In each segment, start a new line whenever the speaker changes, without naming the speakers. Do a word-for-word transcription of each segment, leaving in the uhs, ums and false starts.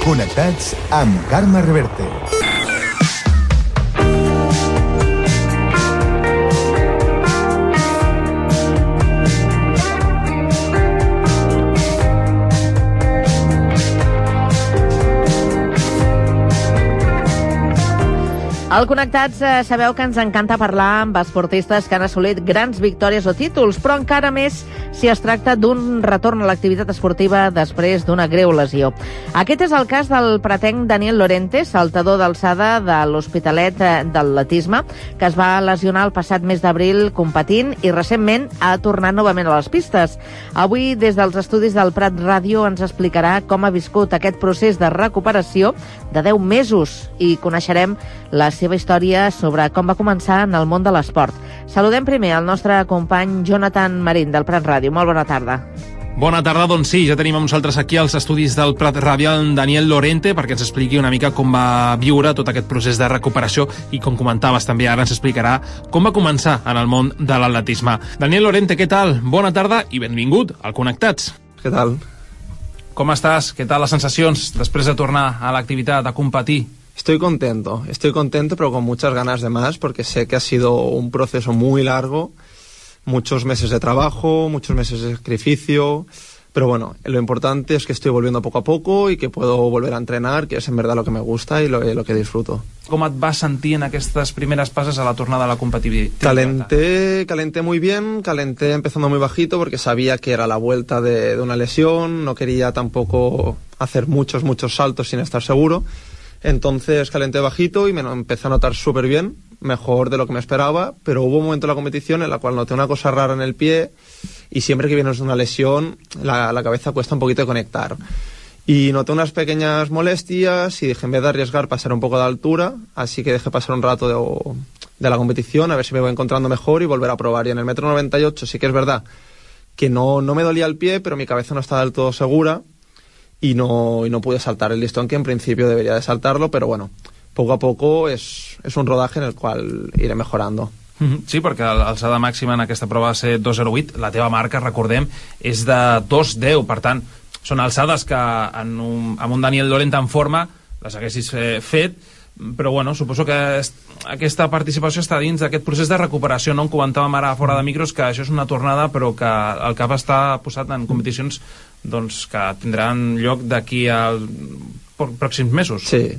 Connectats amb Carme Reverte.
Al Connectats eh, sabeu que ens encanta parlar amb esportistes que han assolit grans victòries o títols, però encara més si es tracta d'un retorn a l'activitat esportiva després d'una greu lesió. Aquest és el cas del pretenc Daniel Lorente, saltador d'alçada de l'Hospitalet d'Atletisme, que es va lesionar el passat mes d'abril competint i recentment ha tornat novament a les pistes. Avui, des dels estudis del Prat Ràdio, ens explicarà com ha viscut aquest procés de recuperació de deu mesos i coneixerem la seva història sobre com va començar en el món de l'esport. Saludem primer el nostre company Jonathan Marín, del Prat Ràdio. Molt bona tarda.
Bona tarda, doncs sí, ja tenim amb nosaltres aquí als estudis del Prat Ràdio en Daniel Lorente perquè ens expliqui una mica com va viure tot aquest procés de recuperació i, com comentaves també, ara ens explicarà com va començar en el món de l'atletisme. Daniel Lorente, què tal? Bona tarda i benvingut al Connectats.
Què tal?
Com estàs? Què tal les sensacions després de tornar a l'activitat, a competir?
Estoy contento, estoy contento, pero con muchas ganas de más, porque sé que ha sido un proceso muy largo, muchos meses de trabajo, muchos meses de sacrificio, pero bueno, lo importante es que estoy volviendo poco a poco y que puedo volver a entrenar, que es en verdad lo que me gusta y lo, lo que disfruto.
Com et vas sentir en aquestes primeres passes a la tornada a la competitivitat?
Calenté, calenté muy bien, calenté empezando muy bajito porque sabía que era la vuelta de, de una lesión, no quería tampoco hacer muchos, muchos saltos sin estar seguro. Entonces calenté bajito y me empecé a notar súper bien, mejor de lo que me esperaba, pero hubo un momento en la competición en la cual noté una cosa rara en el pie y siempre que vienes de una lesión la, la cabeza cuesta un poquito de conectar. Y noté unas pequeñas molestias y dije, en vez de arriesgar, pasar un poco de altura, así que dejé pasar un rato de, de la competición a ver si me voy encontrando mejor y volver a probar. Y en el metro noventa y ocho sí que es verdad que no, no me dolía el pie, pero mi cabeza no estaba del todo segura. Y no, y no pude saltar el listón que en principio debería de saltarlo, pero bueno, poco a poco es, es un rodaje en el cual iré mejorando.
Sí, perquè l'alçada màxima en aquesta prova va ser dos zero vuit, la teva marca, recordem, és de dos deu, per tant, són alçades que en un, amb un Daniel Lorente en forma les haguessis fet, però bueno, suposo que aquesta participació està dins d'aquest procés de recuperació, no? Em comentàvem ara fora de micros que això és una tornada però que el cap està posat en competicions doncs, que tindran lloc d'aquí als pròxims mesos.
Sí.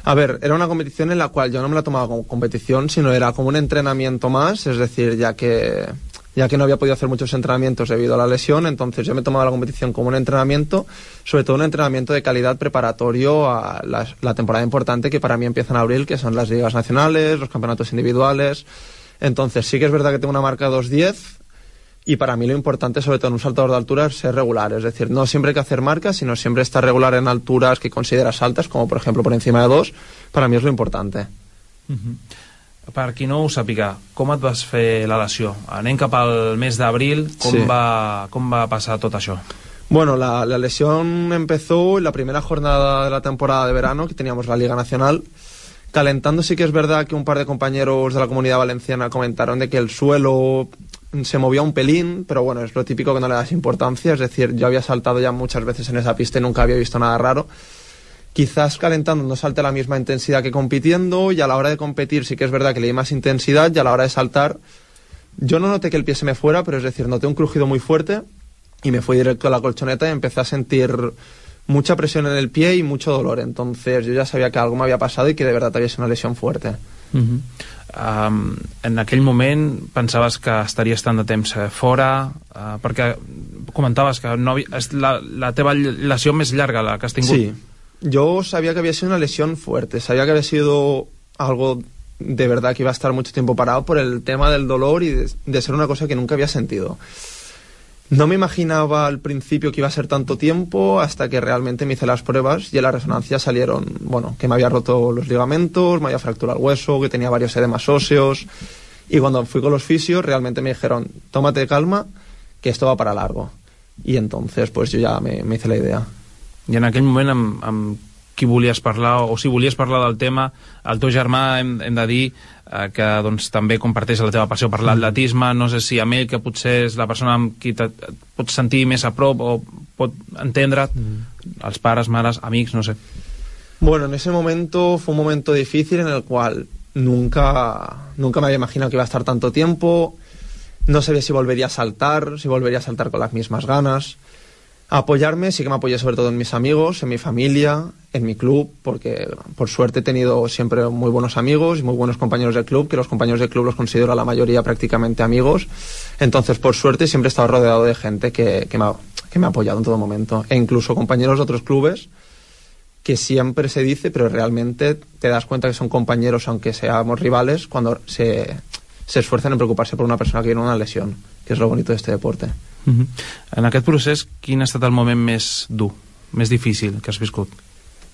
A ver, era una competición en la cual yo no me la tomaba como competición, sino era como un entrenamiento más, es decir, ya que ya que no había podido hacer muchos entrenamientos debido a la lesión, entonces yo me tomaba la competición como un entrenamiento, sobre todo un entrenamiento de calidad preparatorio a la, la temporada importante que para mí empieza en abril, que son las ligas nacionales, los campeonatos individuales. Entonces sí que es verdad que tengo una marca dos diez y para mí lo importante, sobre todo en un saltador de altura, es ser regular, es decir, no siempre hay que hacer marcas, sino siempre estar regular en alturas que consideras altas, como por ejemplo por encima de dos, para mí es lo importante.
Uh-huh. Per qui no ho sàpiga, com et vas fer la lesió? Anem cap al mes d'abril, com,
sí.
va, com va passar tot això?
Bueno, la, la lesión empezó en la primera jornada de la temporada de verano, que teníamos la Liga Nacional. Calentando sí que es verdad que un par de compañeros de la Comunidad Valenciana comentaron de que el suelo se movía un pelín, pero bueno, es lo típico que no le das importancia, es decir, yo había saltado ya muchas veces en esa pista y nunca había visto nada raro. Quizás calentando no salte a la misma intensidad que compitiendo, y a la hora de competir sí que es verdad que le di más intensidad, y a la hora de saltar yo no noté que el pie se me fuera, pero es decir, noté un crujido muy fuerte y me fui directo a la colchoneta y empecé a sentir mucha presión en el pie y mucho dolor. Entonces yo ya sabía que algo me había pasado y que de verdad había sido una lesión fuerte.
Uh-huh. Um, en aquell moment pensaves que estaries tant de temps fora, uh, perquè comentaves que no havia, és la, la teva lesió més llarga la que has tingut.
Sí, yo sabía que había sido una lesión fuerte, sabía que había sido algo de verdad que iba a estar mucho tiempo parado por el tema del dolor y de, de ser una cosa que nunca había sentido. No me imaginaba al principio que iba a ser tanto tiempo, hasta que realmente me hice las pruebas y en la resonancia salieron, bueno, que me había roto los ligamentos, me había fracturado el hueso, que tenía varios edemas óseos, y cuando fui con los fisios realmente me dijeron, tómate calma, que esto va para largo. Y entonces pues yo ya me, me hice la idea.
I en aquell moment amb, amb qui volies parlar, o si volies parlar del tema, el teu germà, hem, hem de dir eh, que doncs, també comparteix la teva passió per l'atletisme, no sé si amb ell, que potser és la persona amb qui et pots sentir més a prop o pot entendre't, mm. els pares, mares, amics, no sé.
Bueno, en ese momento fue un momento difícil en el cual nunca, nunca me había imaginado que iba a estar tanto tiempo. No sabía si volvería a saltar, si volvería a saltar con las mismas ganas. A apoyarme, sí que me apoyé sobre todo en mis amigos, en mi familia, en mi club, porque por suerte he tenido siempre muy buenos amigos y muy buenos compañeros del club, que los compañeros del club los considero a la mayoría prácticamente amigos. Entonces, por suerte, siempre he estado rodeado de gente que, que, me ha, que me ha apoyado en todo momento. E incluso compañeros de otros clubes, que siempre se dice, pero realmente te das cuenta que son compañeros, aunque seamos rivales, cuando se, se esfuerzan en preocuparse por una persona que tiene una lesión, que es lo bonito de este deporte.
Uh-huh. En aquest procés, quin ha estat el moment més dur, més difícil que has viscut?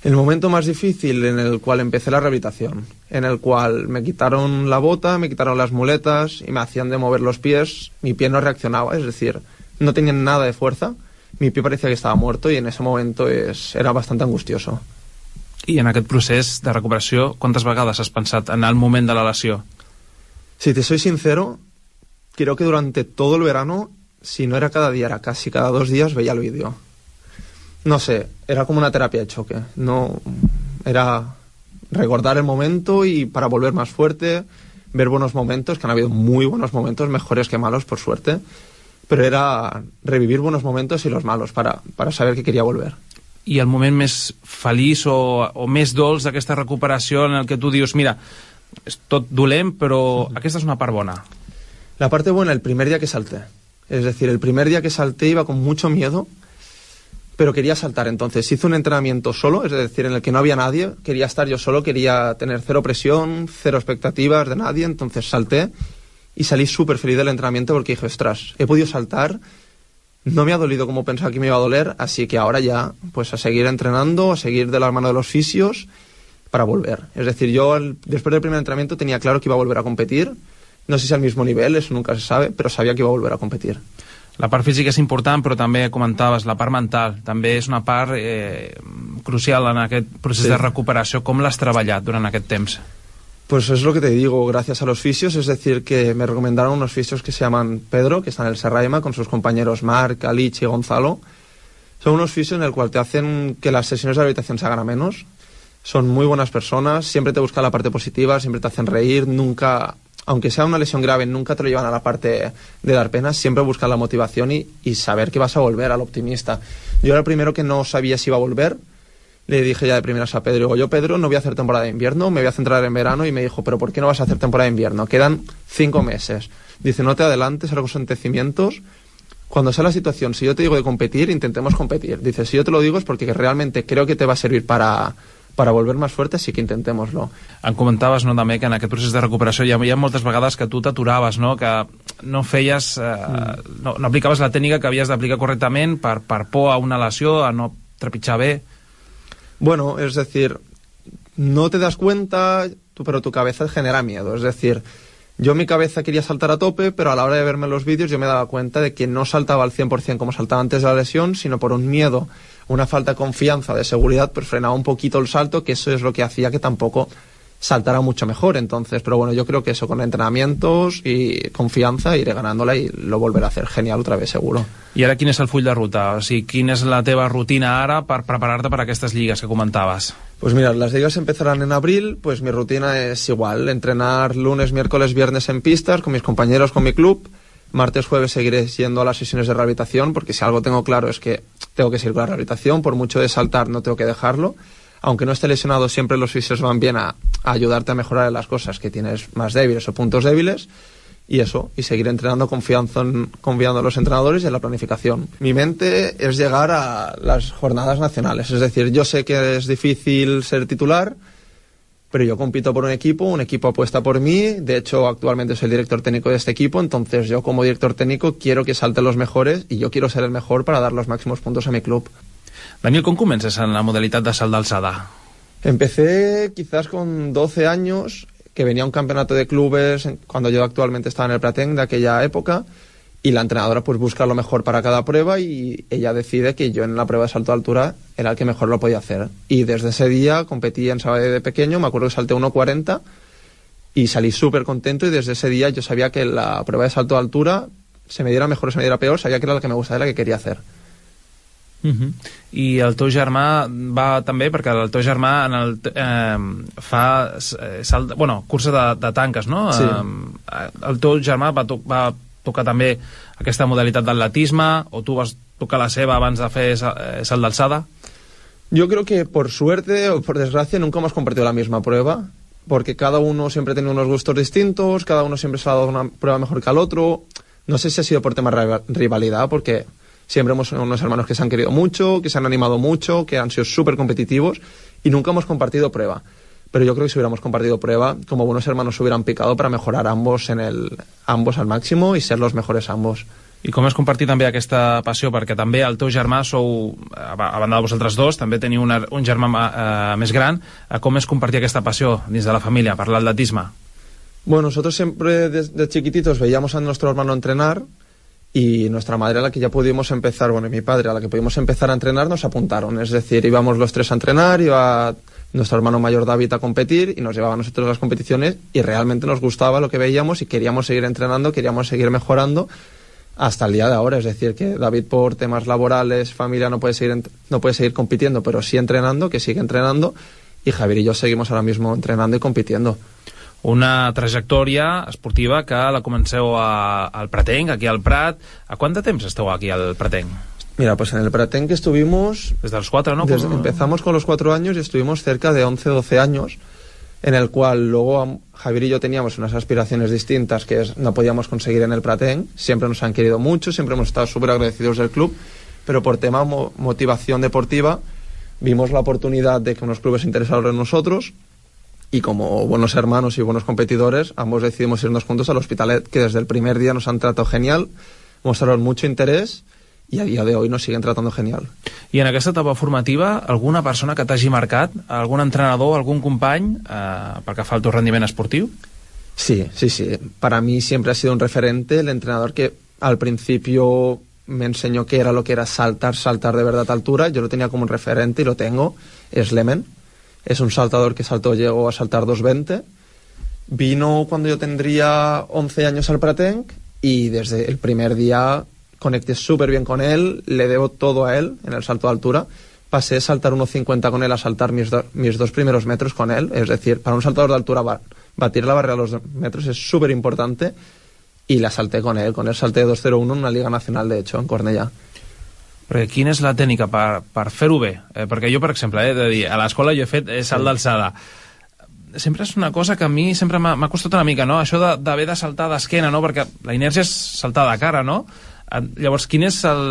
El momento más difícil en el cual empecé la rehabilitación, en el cual me quitaron la bota, me quitaron las muletas y me hacían de mover los pies, mi pie no reaccionaba, es decir, no tenían nada de fuerza, mi pie parecía que estaba muerto y en ese momento es, era bastante angustioso.
I en aquest procés de recuperació, quantes vegades has pensat en el moment de la lesió?
Si te soy sincero, creo que durante todo el verano, si no era cada día, era casi cada dos días, veía el vídeo. No sé, era como una terapia de choque. No, era recordar el momento y para volver más fuerte, ver buenos momentos, que han habido muy buenos momentos, mejores que malos, por suerte, pero era revivir buenos momentos y los malos para, para saber que quería volver.
I el moment més feliç o, o més dolç d'aquesta recuperació en el que tu dius, mira, és tot dolent, però aquesta és una part bona.
La parte buena, el primer día que salté. Es decir, el primer día que salté iba con mucho miedo, pero quería saltar. Entonces hice un entrenamiento solo, es decir, en el que no había nadie. Quería estar yo solo, quería tener cero presión, cero expectativas de nadie. Entonces salté y salí súper feliz del entrenamiento porque dije, ostras, he podido saltar, no me ha dolido como pensaba que me iba a doler, así que ahora ya, pues a seguir entrenando, a seguir de la mano de los fisios para volver. Es decir, yo después del primer entrenamiento tenía claro que iba a volver a competir. No sé si al mismo nivel, eso nunca se sabe, però sabia que iba a volver a competir.
La part física és important, però també comentaves, la part mental també és una part eh, crucial en aquest procés sí. de recuperació. Com l'has treballat durant aquest temps?
Pues es lo que te digo, gracias a los fisios, es decir, que me recomendaron unos fisios que se llaman Pedro, que están en el Serraima, con sus compañeros Marc, Alich y Gonzalo. Son unos fisios en el cual te hacen que las sesiones de rehabilitación se hagan a menos. Son muy buenas personas, siempre te buscan la parte positiva, siempre te hacen reír, nunca... Aunque sea una lesión grave, nunca te lo llevan a la parte de dar pena, siempre buscan la motivación y, y saber que vas a volver, al optimista. Yo era el primero que no sabía si iba a volver, le dije ya de primeras a Pedro, digo, yo Pedro no voy a hacer temporada de invierno, me voy a centrar en verano, y me dijo, pero ¿por qué no vas a hacer temporada de invierno? Quedan cinco meses. Dice, no te adelantes a los acontecimientos, cuando sea la situación, si yo te digo de competir, intentemos competir. Dice, si yo te lo digo es porque realmente creo que te va a servir para... para volver más fuerte, sí que intentémoslo.
Em comentaves, no, també, que en aquest procés de recuperació hi havia moltes vegades que tu t'aturaves, no? Que no feies... Eh, mm. no, no aplicaves la tècnica que havies d'aplicar correctament per, per por a una lesió, a no trepitjar bé.
Bueno, es decir, no te das cuenta, pero tu cabeza genera miedo. Es decir, yo en mi cabeza quería saltar a tope, pero a la hora de verme los vídeos yo me daba cuenta de que no saltaba al cien por ciento como saltaba antes de la lesión, sino por un miedo, una falta de confianza, de seguridad, pues frenaba un poquito el salto, que eso es lo que hacía que tampoco saltara mucho mejor. Entonces, pero bueno, yo creo que eso con entrenamientos y confianza iré ganándola y lo volveré a hacer genial otra vez, seguro.
I ara quin és el full de ruta? O sigui, quina és la teva rutina ara per preparar-te per a aquestes lligues que comentaves?
Pues mira, las ligas empezarán en abril, pues mi rutina es igual, entrenar lunes, miércoles, viernes en pistas con mis compañeros, con mi club. Martes, jueves seguiré yendo a las sesiones de rehabilitación, porque si algo tengo claro es que tengo que seguir con la rehabilitación, por mucho de saltar no tengo que dejarlo. Aunque no esté lesionado, siempre los fisios van bien a, a ayudarte a mejorar en las cosas que tienes más débiles o puntos débiles, y eso, y seguir entrenando confiando en, confiando en los entrenadores y en la planificación. Mi mente es llegar a las jornadas nacionales, es decir, yo sé que es difícil ser titular, pero yo compito por un equipo, un equipo apuesta por mí, de hecho actualmente soy el director técnico de este equipo, entonces yo como director técnico quiero que salten los mejores y yo quiero ser el mejor para dar los máximos puntos a mi club.
Daniel, ¿cómo comences en la modalidad de salt d'alçada?
Empecé quizás con doce años, que venía un campeonato de clubes cuando yo actualmente estaba en el Prateng de aquella época, y la entrenadora pues busca lo mejor para cada prueba y ella decide que yo en la prueba de salto de altura era el que mejor lo podía hacer. Y desde ese día competí en Sabadell de pequeño, me acuerdo que salté uno cuarenta y salí súper contento, y desde ese día yo sabía que la prueba de salto de altura, se me diera mejor o se me diera peor, sabía que era la que me gustaba y la que quería hacer.
Uh-huh. I el teu germà va també, perquè el teu germà en el, eh, fa salt, bueno, cursa de, de tanques, no?
Sí.
Eh, el teu germà va, to va tocar també aquesta modalitat d'atletisme, o tu vas tocar la seva abans de fer salt d'alçada?
Yo creo que por suerte o por desgracia nunca hemos compartido la misma prueba, porque cada uno siempre tiene unos gustos distintos, cada uno siempre se ha dado una prueba mejor que al otro. No sé si ha sido por tema de rivalidad, porque siempre hemos sido unos hermanos que se han querido mucho, que se han animado mucho, que han sido súper competitivos, y nunca hemos compartido prueba. Pero yo creo que si hubiéramos compartido prueba, como buenos hermanos se hubieran picado para mejorar ambos en el ambos al máximo y ser los mejores ambos.
I com és compartir també aquesta passió? Perquè també el teu germà sou, a banda de vosaltres dos, també teniu una, un germà eh, més gran. Com és compartir aquesta passió dins de la família per l'atletisme?
Bueno, nosotros siempre desde chiquititos veíamos a nuestro hermano entrenar, y nuestra madre a la que ya pudimos empezar, bueno, y mi padre a la que pudimos empezar a entrenar nos apuntaron. Es decir, íbamos los tres a entrenar, iba nuestro hermano mayor David a competir y nos llevaba a nosotros a las competiciones, y realmente nos gustaba lo que veíamos y queríamos seguir entrenando, queríamos seguir mejorando hasta el día de ahora. Es decir, que David por temas laborales, familia, no puede seguir, no puede seguir compitiendo, pero sí entrenando, que sigue entrenando, y Javier y yo seguimos ahora mismo entrenando y compitiendo.
Una trajectòria esportiva que la comenceu a, al Pratenc, aquí al Prat. A quant de temps esteu aquí al Pratenc?
Mira, pues en el Pratenc estuvimos...
Desde los cuatro, ¿no?
Desde, empezamos con los cuatro años y estuvimos cerca de once, doce años, en el cual luego Javier y yo teníamos unas aspiraciones distintas que es, no podíamos conseguir en el Pratenc. Siempre nos han querido mucho, siempre hemos estado súper agradecidos del club, pero por tema mo motivación deportiva vimos la oportunidad de que unos clubes se interesaron en nosotros, y como buenos hermanos y buenos competidores, ambos decidimos irnos juntos al Hospitalet, que desde el primer día nos han tratado genial, mostraron mucho interés i a dia d'avui nos siguen tratando genial.
I en aquesta etapa formativa, alguna persona que t'hagi marcat, algun entrenador, algún company, eh, pel que fa al teu rendiment esportiu?
Sí, sí, sí. Para mí siempre ha sido un referente el entrenador que al principio me enseñó qué era lo que era saltar, saltar de verdad a altura. Yo lo tenía como un referente y lo tengo. Es Lemen. Es un saltador que saltó, llegó a saltar dos veinte. Vino cuando yo tendría once años al Pratenc y desde el primer día conecté súper bien con él, le debo todo a él en el salto de altura. Pasé de saltar uno cincuenta con él a saltar mis, do, mis dos primeros metros con él. Es decir, para un saltador de altura batir la barrera de los dos metros es súper importante, y la salté con él. Con él salté dos cero uno en una Liga Nacional, de hecho, en Cornellà.
Perquè quina és la tècnica per, per fer-ho bé? Eh, perquè jo, per exemple, he de dir, a l'escola jo he fet eh, salt d'alçada. Sempre és una cosa que a mi sempre m'ha costat una mica, no? Això d'haver de, de saltar d'esquena, no? Perquè la inèrcia és saltar de cara, no? Llavors, quin és el,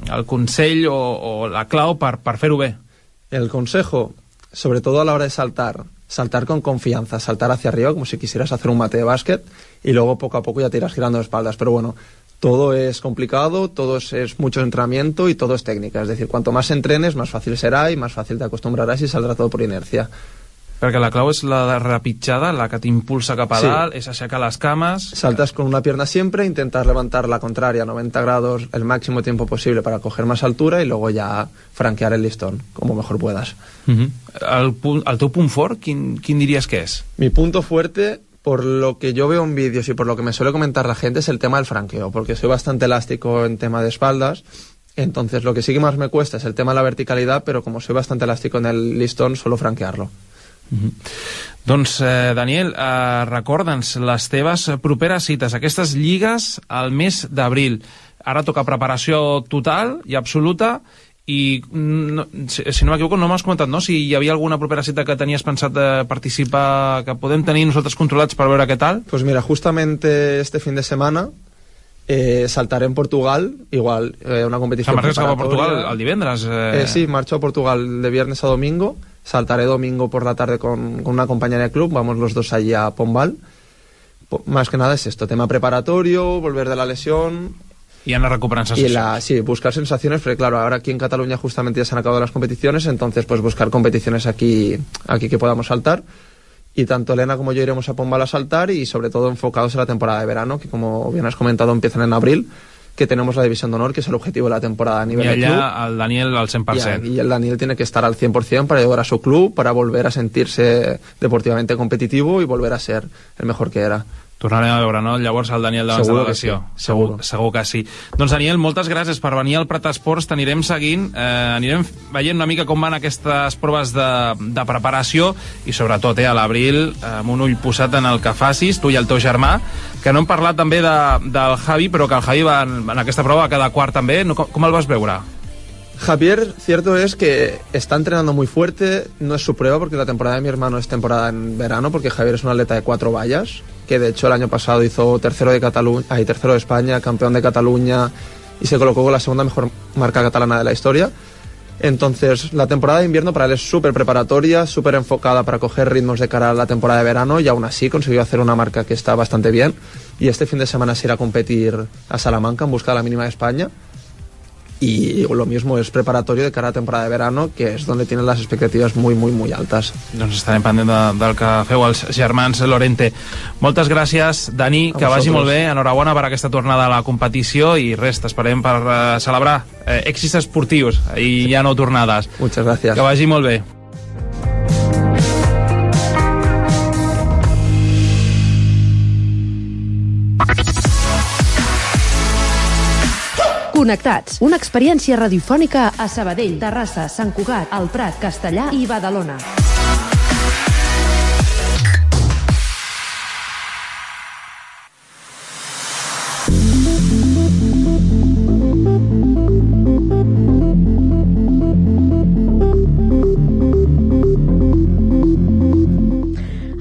el consell o, o la clau per, per fer-ho bé?
El consejo, sobre todo a la hora de saltar, saltar con confianza, saltar hacia arriba como si quisieras hacer un mate de básquet, y luego poco a poco ya te irás girando de espaldas. Pero bueno, todo es complicado, todo es, es mucho entrenamiento y todo es técnica. Es decir, cuanto más entrenes, más fácil será y más fácil te acostumbrarás y saldrá todo por inercia.
Perquè la clau és la repitjada, la que t'impulsa cap a dalt, sí. És aixecar les cames...
Saltas con una pierna siempre, intentar levantar la contraria a noventa grados el máximo tiempo posible para coger más altura y luego ya franquear el listón, como mejor puedas.
Uh-huh. el, el teu punt fort, quin, quin diries que és?
Mi punto fuerte, por lo que yo veo en vídeos y por lo que me suele comentar la gente, es el tema del franqueo, porque soy bastante elástico en tema de espaldas. Entonces lo que sí que más me cuesta es el tema de la verticalidad, pero como soy bastante elástico en el listón, suelo franquearlo.
Uh-huh. Doncs, eh, Daniel, eh, recorda'ns les teves properes cites, aquestes lligues al mes d'abril. Ara toca preparació total i absoluta, i no, si, si no m'equivoco no m'has comentat, no? Si hi havia alguna propera cita que tenies pensat de participar, que podem tenir nosaltres controlats per veure què tal?
Pues mira, justamente este fin de semana Eh, saltaré en Portugal, igual, eh, una competición
preparatoria. ¿Marchas a Portugal el divendres? Eh...
Eh, sí, marcho a Portugal de viernes a domingo, saltaré domingo por la tarde con, con una compañera de club, vamos los dos allí a Pombal. Más que nada es esto, tema preparatorio, volver de la lesión...
Y anar recuperant sensacions.
Y la, sí, buscar sensaciones, porque claro, ahora aquí en Cataluña justamente ya se han acabado las competiciones, entonces pues buscar competiciones aquí, aquí que podamos saltar. Y tanto Elena como yo iremos a Pombal a saltar, y sobre todo enfocados en la temporada de verano, que como bien has comentado empiezan en abril, que tenemos la división de honor, que es el objetivo de la temporada a nivel
de club.
Y
allá el Daniel al cent per cent.
Y, y el Daniel tiene que estar al cien por cien para ayudar a su club, para volver a sentirse deportivamente competitivo y volver a ser el mejor que era.
Tornarem a veure, no? Llavors el Daniel de la delegació.
Sí. Segur.
Segur, segur que sí. Doncs Daniel, moltes gràcies per venir al Prat Esports, t'anirem seguint, eh, anirem veient una mica com van aquestes proves de, de preparació i sobretot eh, a l'abril, eh, amb un ull posat en el que facis, tu i el teu germà, que no hem parlat també de, del Javi, però que el Javi va en, en aquesta prova a cada quart també. No, com, com el vas veure?
Javier, cierto es que está entrenando muy fuerte, no es su prueba porque la temporada de mi hermano es temporada en verano, porque Javier es un atleta de cuatro vallas, que de hecho el año pasado hizo tercero de Cataluña, ay, tercero de España, campeón de Cataluña y se colocó con la segunda mejor marca catalana de la historia. Entonces la temporada de invierno para él es súper preparatoria, súper enfocada para coger ritmos de cara a la temporada de verano y aún así consiguió hacer una marca que está bastante bien y este fin de semana se irá a competir a Salamanca en busca de la mínima de España. Y lo mismo es preparatorio de cara a la temporada de verano, que es donde tienen las expectativas muy, muy, muy altas.
Doncs estarem pendent de, del que feu els germans Lorente. Moltes gràcies, Dani,
a
que vagi
vosaltres.
molt bé, enhorabona per aquesta tornada a la competició i res, t'esperem per uh, celebrar eh, èxits esportius i ja no tornades.
Muchas gracias.
Que vagi molt bé.
Connectats, una experiència radiofònica a Sabadell, Terrassa, Sant Cugat, El Prat, Castellar i Badalona.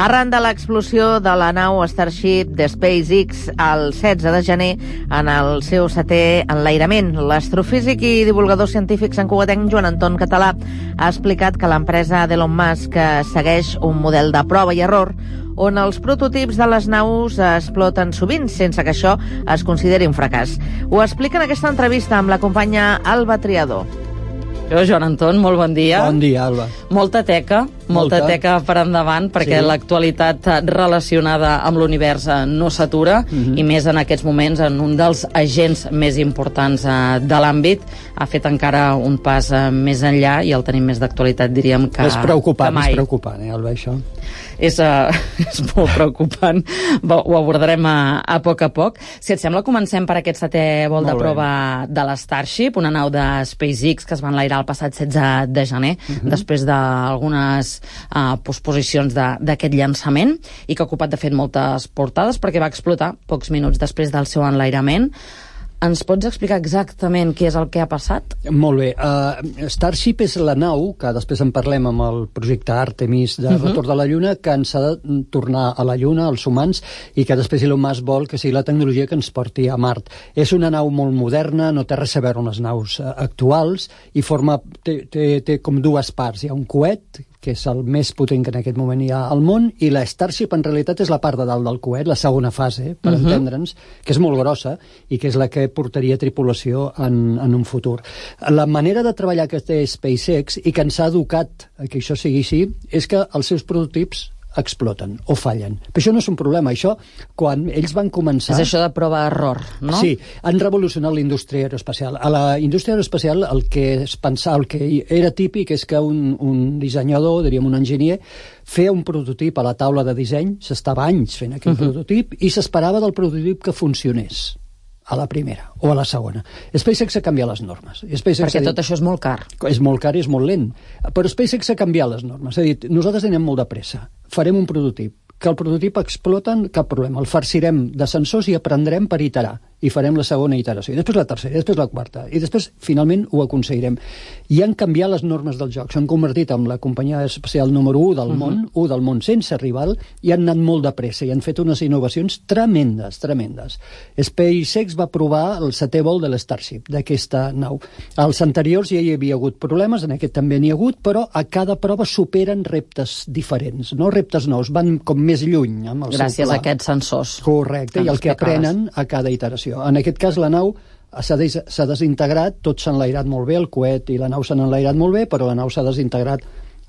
Arran de l'explosió de la nau Starship de SpaceX el setze de gener en el seu setè enlairament, l'astrofísic i divulgador científic santcugatenc Joan Anton Català ha explicat que l'empresa d'Elon Musk segueix un model de prova i error on els prototips de les naus exploten sovint sense que això es consideri un fracàs. Ho explica en aquesta entrevista amb la companya Alba Triador.
Jo, Joan Anton, molt bon dia.
Bon dia, Alba.
Molta teca, molta, molta teca per endavant, perquè sí. L'actualitat relacionada amb l'univers no s'atura, uh-huh. i més en aquests moments en un dels agents més importants uh, de l'àmbit. Ha fet encara un pas uh, més enllà i el tenim més d'actualitat, diríem, que,
és preocupant,
que mai.
És preocupant, eh, Alba, això?
És, uh, és molt preocupant. Ho abordarem a, a poc a poc. Si et sembla, comencem per aquest setè vol de prova de la Starship, una nau de SpaceX que es va enlairar el passat setze de gener, uh-huh. després d'algunes uh, posposicions d'aquest llançament, i que ha ocupat, de fet, moltes portades perquè va explotar pocs minuts després del seu enlairament. Ens pots explicar exactament què és el que ha passat?
Molt bé. Uh, Starship és la nau, que després en parlem amb el projecte Artemis de uh-huh. retorn de la Lluna, que ens ha de tornar a la Lluna, als humans, i que després Elon Musk vol que sigui la tecnologia que ens porti a Mart. És una nau molt moderna, no té res a veure amb les naus uh, actuals, i forma, té, té, té com dues parts. Hi ha un coet, que és el més potent que en aquest moment hi ha al món, i la Starship en realitat és la part de dalt del coet, la segona fase, per uh-huh. entendre'ns, que és molt grossa i que és la que portaria tripulació en, en un futur. La manera de treballar que té SpaceX i que ens ha educat a que això sigui així és que els seus prototips exploten o fallen. Però això no és un problema. Això, quan ells van començar...
És això de prova-error, no?
Sí, han revolucionat la indústria aeroespacial. A la indústria aeroespacial el que es pensava, el que era típic és que un, un dissenyador, diríem un enginyer, feia un prototip a la taula de disseny, s'estava anys fent aquell uh-huh. prototip, i s'esperava del prototip que funcionés a la primera o a la segona. SpaceX ha canviat les normes. SpaceX
Perquè
dit,
tot això és molt car.
És molt car i és molt lent. Però SpaceX ha canviat les normes. Ha dit, nosaltres anem molt de pressa. Farem un prototip. Que el prototip exploten, cap problema. El farcirem de sensors i aprendrem per iterar. I farem la segona iteració. I després la tercera, i després la quarta. I després, finalment, ho aconseguirem. I han canviat les normes del joc. S'han convertit en la companyia espacial número u del uh-huh. món, u del món sense rival, i han anat molt de pressa i han fet unes innovacions tremendes, tremendes. SpaceX va provar el setè vol de l'Starship, d'aquesta nau. Als anteriors ja hi havia hagut problemes, en aquest també n'hi ha hagut, però a cada prova superen reptes diferents, no reptes nous, van com més lluny amb el
Gràcies
seu pla.
a aquests sensors.
Correcte, i el que aprenen a cada iteració. En aquest cas, la nau s'ha des desintegrat, tot s'ha enlairat molt bé, el coet i la nau s'han enlairat molt bé, però la nau s'ha desintegrat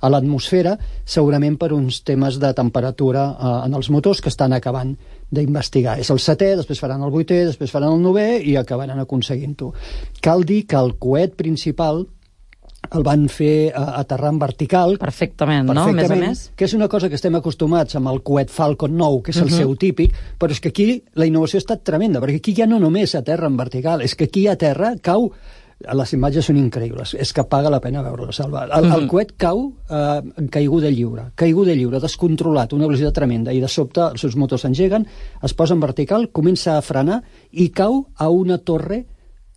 a l'atmosfera, segurament per uns temes de temperatura eh, en els motors que estan acabant d'investigar. És el setè, després faran el vuitè, després faran el novè i acabaran aconseguint-ho. Cal dir que el coet principal el van fer aterrar en vertical.
Perfectament, no? A més a més.
Que és una cosa que estem acostumats amb el coet Falcon nou, que és el uh-huh. seu típic, però és que aquí la innovació ha estat tremenda, perquè aquí ja no només aterra en vertical, és que aquí a terra cau... Les imatges són increïbles, és que paga la pena veure-la, Salva. El, el coet cau eh, en caiguda lliure, caiguda lliure, descontrolat, una velocitat tremenda, i de sobte els seus motors s'engeguen, es posa en vertical, comença a frenar i cau a una torre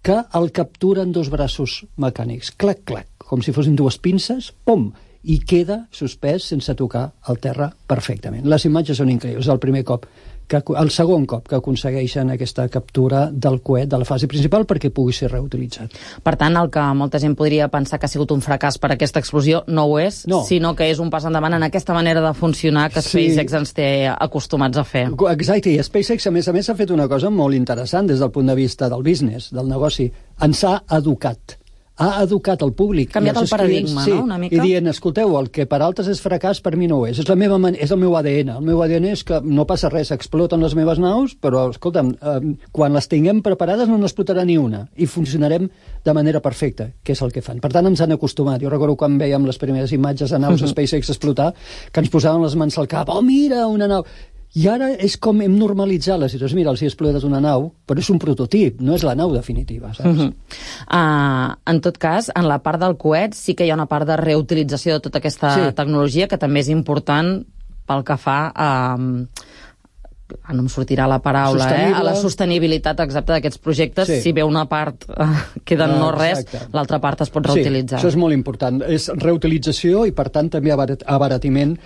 que el capturen dos braços mecànics. Clac, clac, com si fossin dues pinces, pom, i queda suspès sense tocar el terra perfectament. Les imatges són increïbles, el primer cop, que, el segon cop que aconsegueixen aquesta captura del coet de la fase principal perquè pugui ser reutilitzat.
Per tant, el que molta gent podria pensar que ha sigut un fracàs per aquesta explosió no ho és, no. sinó que és un pas endavant en aquesta manera de funcionar que sí. SpaceX ens té acostumats a fer.
Exacte, i SpaceX a més a més ha fet una cosa molt interessant des del punt de vista del business, del negoci. Ens ha educat. Ha educat el públic.
Canviat el paradigma,
sí,
no?, una mica.
I dient, escolteu, el que per altres és fracàs, per mi no ho és. És, la meva man... és el meu A D N. El meu A D N és que no passa res, exploten les meves naus, però, escolta'm, eh, quan les tinguem preparades no n'explotarà ni una, i funcionarem de manera perfecta, que és el que fan. Per tant, ens han acostumat. Jo recordo quan veiem les primeres imatges de naus de SpaceX explotar, que ens posaven les mans al cap. Oh, mira, una nau... I ara és com hem normalitzat la situació. Mira, els hi ha explotat una nau, però és un prototip, no és la nau definitiva, saps? Uh-huh.
uh, en tot cas, en la part del coet sí que hi ha una part de reutilització de tota aquesta sí. tecnologia que també és important pel que fa a... Uh, no em sortirà la paraula, eh? A la sostenibilitat exacta d'aquests projectes. Sí. Si bé una part uh, queda en no res, l'altra part es pot reutilitzar.
Sí, això és molt important. És reutilització i, per tant, també abarat, abaratiment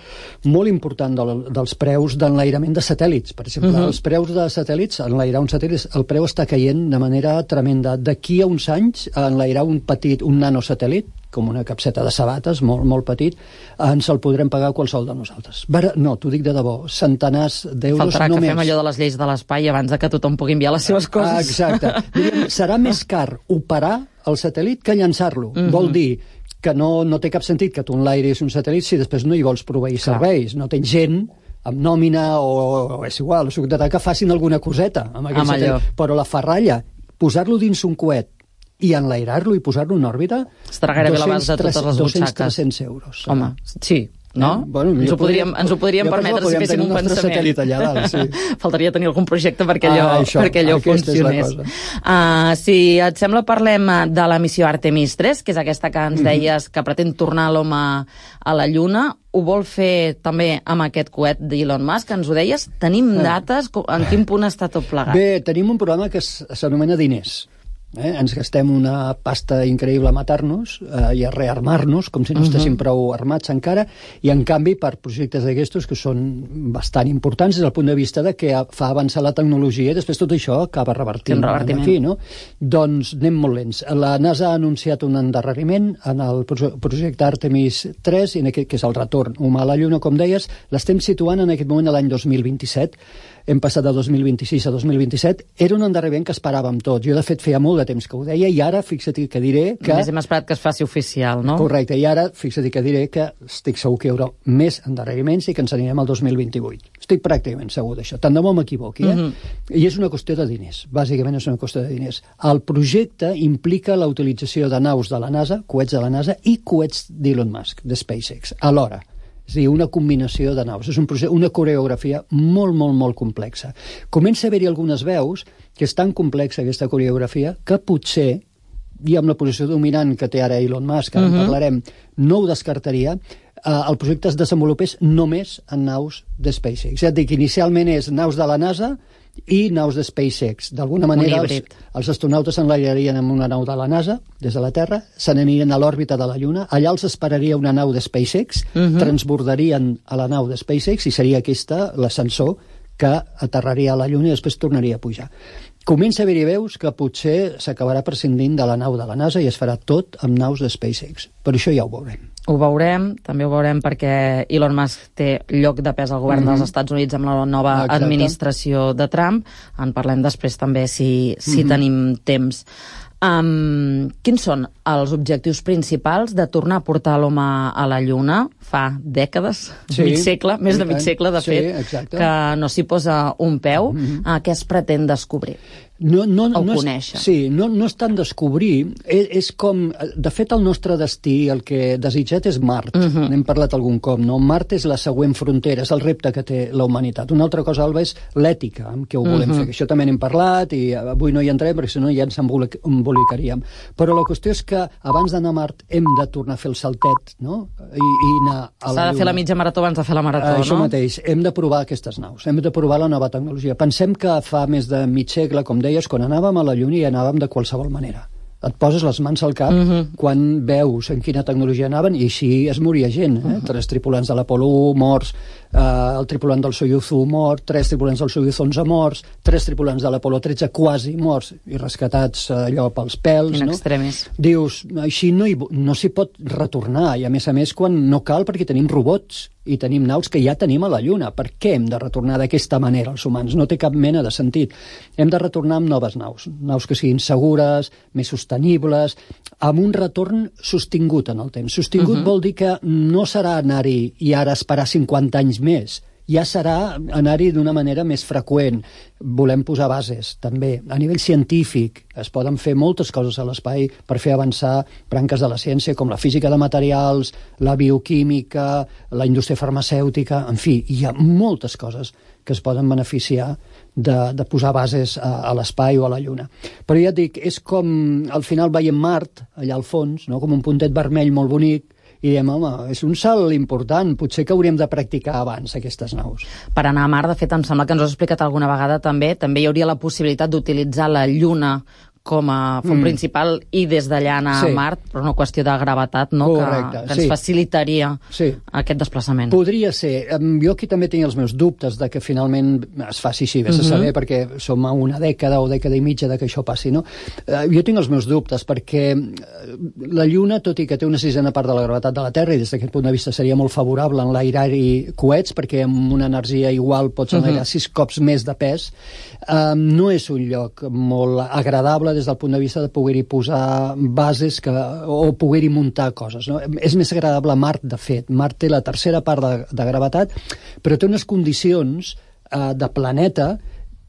molt important del, dels preus d'enlairament de satèl·lits. Per exemple, uh-huh. els preus de satèl·lits, enlairar un satèl·lit, el preu està caient de manera tremenda. D'aquí a uns anys, enlairar un petit, un nanosatèl·lit, com una capseta de sabates, molt, molt petit, ens el podrem pagar qualsevol de nosaltres. Bara, no, t'ho dic de debò, centenars d'euros només.
Faltarà que fem allò de les lleis de l'espai abans de que tothom pugui enviar les seves coses.
Ah, exacte. Diríem, serà més car operar el satèl·lit que llançar-lo. Mm-hmm. Vol dir que no, no té cap sentit que tu enlairis un satèl·lit si després no hi vols proveir Clar. serveis. No tens gent amb nòmina o, o és igual, o que facin alguna coseta amb aquest amb satèl·lit. Però la ferralla, posar-lo dins un coet i enlairar-lo i posar-lo en òrbita...
Estarà gairebé a l'abast de totes les butxaques.
dos-cents a tres-cents euros.
Home, sí, no? Eh?
Bueno,
ens, ho podríem, ens ho podríem permetre si féssim un pensament.
Allà dalt, sí.
Faltaria tenir algun projecte perquè allò, ah, això, perquè allò funcionés. Uh, si et sembla, parlem de la missió Artemis tres, que és aquesta que ens deies mm-hmm. que pretén tornar l'home a la Lluna. Ho vol fer també amb aquest coet d'Elon Musk, ens ho deies. Tenim dates? En quin punt està tot plegat?
Bé, tenim un programa que s'anomena Diners. Eh? Ens gastem una pasta increïble a matar-nos eh, i a rearmar-nos, com si no estéssim uh-huh. prou armats encara, i en canvi per projectes d'aquestos que són bastant importants des del punt de vista de que fa avançar la tecnologia i després tot això acaba revertint aquí, no? Doncs anem molt lents. La NASA ha anunciat un endarreriment en el projecte Artemis tres, que és el retorn humà a la Lluna, com deies. L'estem situant en aquest moment a l'any dos mil vint-i-set. Hem passat de dos mil vint-i-sis a dos mil vint-i-set. Era un endarreriment que esperàvem tots. Jo, de fet, feia molt de temps que ho deia i ara, fixa't que diré que...
Només hem esperat que es faci oficial, no?
Correcte, i ara, fixa't que diré que estic segur que hi haurà més endarreriments i que ens anirem al dos mil vint-i-vuit. Estic pràcticament segur d'això. Tant de bo m'equivoqui, eh? Mm-hmm. I és una qüestió de diners. Bàsicament és una qüestió de diners. El projecte implica la utilització de naus de la NASA, coets de la NASA, i coets d'Elon Musk, de SpaceX, alhora. És a dir, una combinació de naus. És un procés, una coreografia molt, molt, molt complexa. Comença a haver-hi algunes veus que és tan complexa aquesta coreografia que potser, i amb la posició dominant que té ara Elon Musk, ara uh-huh. en parlarem, no ho descartaria, eh, el projecte es desenvolupés només en naus de SpaceX. És a dir, que inicialment és naus de la NASA i naus de SpaceX. D'alguna manera, els, els astronautes s'enlairarien amb una nau de la NASA, des de la Terra, se n'anirien a l'òrbita de la Lluna, allà els esperaria una nau de SpaceX, uh-huh. transbordarien a la nau de SpaceX i seria aquesta l'ascensor que aterraria a la Lluna i després tornaria a pujar. Comença a haver-hi veus que potser s'acabarà prescindint de la nau de la NASA i es farà tot amb naus de SpaceX. Per això ja ho veurem.
Ho veurem, també ho veurem perquè Elon Musk té lloc de pes al govern mm-hmm. dels Estats Units amb la nova Exacte. administració de Trump. En parlem després també si, si mm-hmm. tenim temps. Um, quins són els objectius principals de tornar a portar l'home a la Lluna fa dècades, sí, mig segle, més de mig segle, de fet, sí, que no s'hi posa un peu? Mm-hmm. uh, què es pretén descobrir?
No, no,
o
no
conèixer.
És, sí, no, no és tant descobrir, és, és com... De fet, el nostre destí, el que desitget és Mart. Uh-huh. N'hem parlat algun cop, no? Mart és la següent frontera, és el repte que té la humanitat. Una altra cosa, Alba, és l'ètica amb què ho volem uh-huh. fer. Això també n'hem parlat i avui no hi entrem perquè si no ja ens embolicaríem. Però la qüestió és que abans d'anar a Mart hem de tornar a fer el saltet, no? I, i anar a la
S'ha de fer la mitja marató abans de fer la marató,
uh,
no?
Això mateix. Hem de provar aquestes naus. Hem de provar la nova tecnologia. Pensem que fa més de mig segle, com deies, quan anàvem a la Lluna i anàvem de qualsevol manera. Et poses les mans al cap uh-huh. quan veus en quina tecnologia anaven i així es moria gent. Eh? Uh-huh. Tres tripulants de l'Apolo u morts, eh, el tripulant del Soyuz u mort, tres tripulants del Soyuz onze morts, tres tripulants de l'Apolo tretze quasi morts i rescatats eh, allò pels pèls.
In
no?
extremis.
Dius, així no, hi, no s'hi pot retornar i a més a més quan no cal perquè tenim robots i tenim naus que ja tenim a la Lluna. Per què hem de retornar d'aquesta manera els humans? No té cap mena de sentit. Hem de retornar amb noves naus, naus que siguin segures, més sostenibles, amb un retorn sostingut en el temps. Sostingut uh-huh. vol dir que no serà anar-hi i ara esperar cinquanta anys més. Ja serà anar-hi d'una manera més freqüent. Volem posar bases, també. A nivell científic es poden fer moltes coses a l'espai per fer avançar branques de la ciència, com la física de materials, la bioquímica, la indústria farmacèutica, en fi, hi ha moltes coses que es poden beneficiar de, de posar bases a, a l'espai o a la Lluna. Però ja et dic, és com, al final veiem Mart, allà al fons, no? Com un puntet vermell molt bonic, i diem, home, és un salt important, potser que hauríem de practicar abans aquestes naus.
Per anar a Mart, de fet, em sembla que ens ho has explicat alguna vegada també, també hi hauria la possibilitat d'utilitzar la Lluna com a font mm. principal i des d'allà anar sí. a Mart, però una qüestió de gravetat, no?
Correcte,
que, que ens
sí.
facilitaria
sí.
aquest desplaçament.
Podria ser. Jo aquí també tinc els meus dubtes de que finalment es faci així, vés a saber, mm-hmm. perquè som a una dècada o dècada i mitja de que això passi, no? Jo tinc els meus dubtes, perquè la Lluna, tot i que té una sisena part de la gravetat de la Terra, i des d'aquest punt de vista seria molt favorable enlairar-hi coets, perquè amb una energia igual pots enlairar mm-hmm. sis cops més de pes, um, no és un lloc molt agradable des del punt de vista de poder-hi posar bases que, o poder-hi muntar coses. No? És més agradable Mart, de fet. Mart té la tercera part de, de gravetat, però té unes condicions eh, de planeta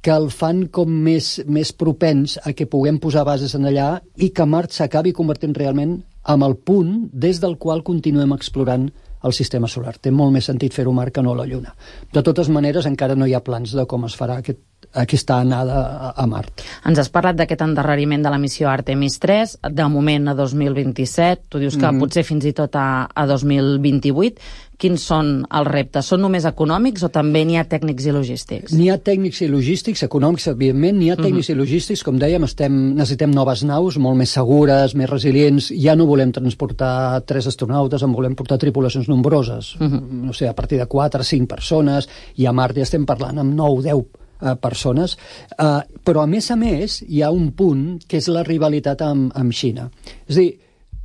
que el fan com més, més propens a que puguem posar bases en allà i que Mart s'acabi convertint realment en el punt des del qual continuem explorant el sistema solar. Té molt més sentit fer-ho Mart que no la Lluna. De totes maneres, encara no hi ha plans de com es farà aquest, aquesta anada a, a Mart.
Ens has parlat d'aquest endarreriment de la missió Artemis tres, de moment a dos mil vint-i-set, tu dius que mm-hmm. potser fins i tot a, a dos mil vint-i-vuit. Quins són els reptes? Són només econòmics o també n'hi ha tècnics i logístics?
N'hi ha tècnics i logístics, econòmics, evidentment, n'hi ha tècnics uh-huh. i logístics, com dèiem, estem, necessitem noves naus, molt més segures, més resilients, ja no volem transportar tres astronautes, en volem portar tripulacions nombroses, uh-huh. no sé, a partir de quatre, cinc persones, i a Mart ja estem parlant amb nou, deu uh, persones, uh, però a més a més hi ha un punt que és la rivalitat amb, amb Xina. És a dir,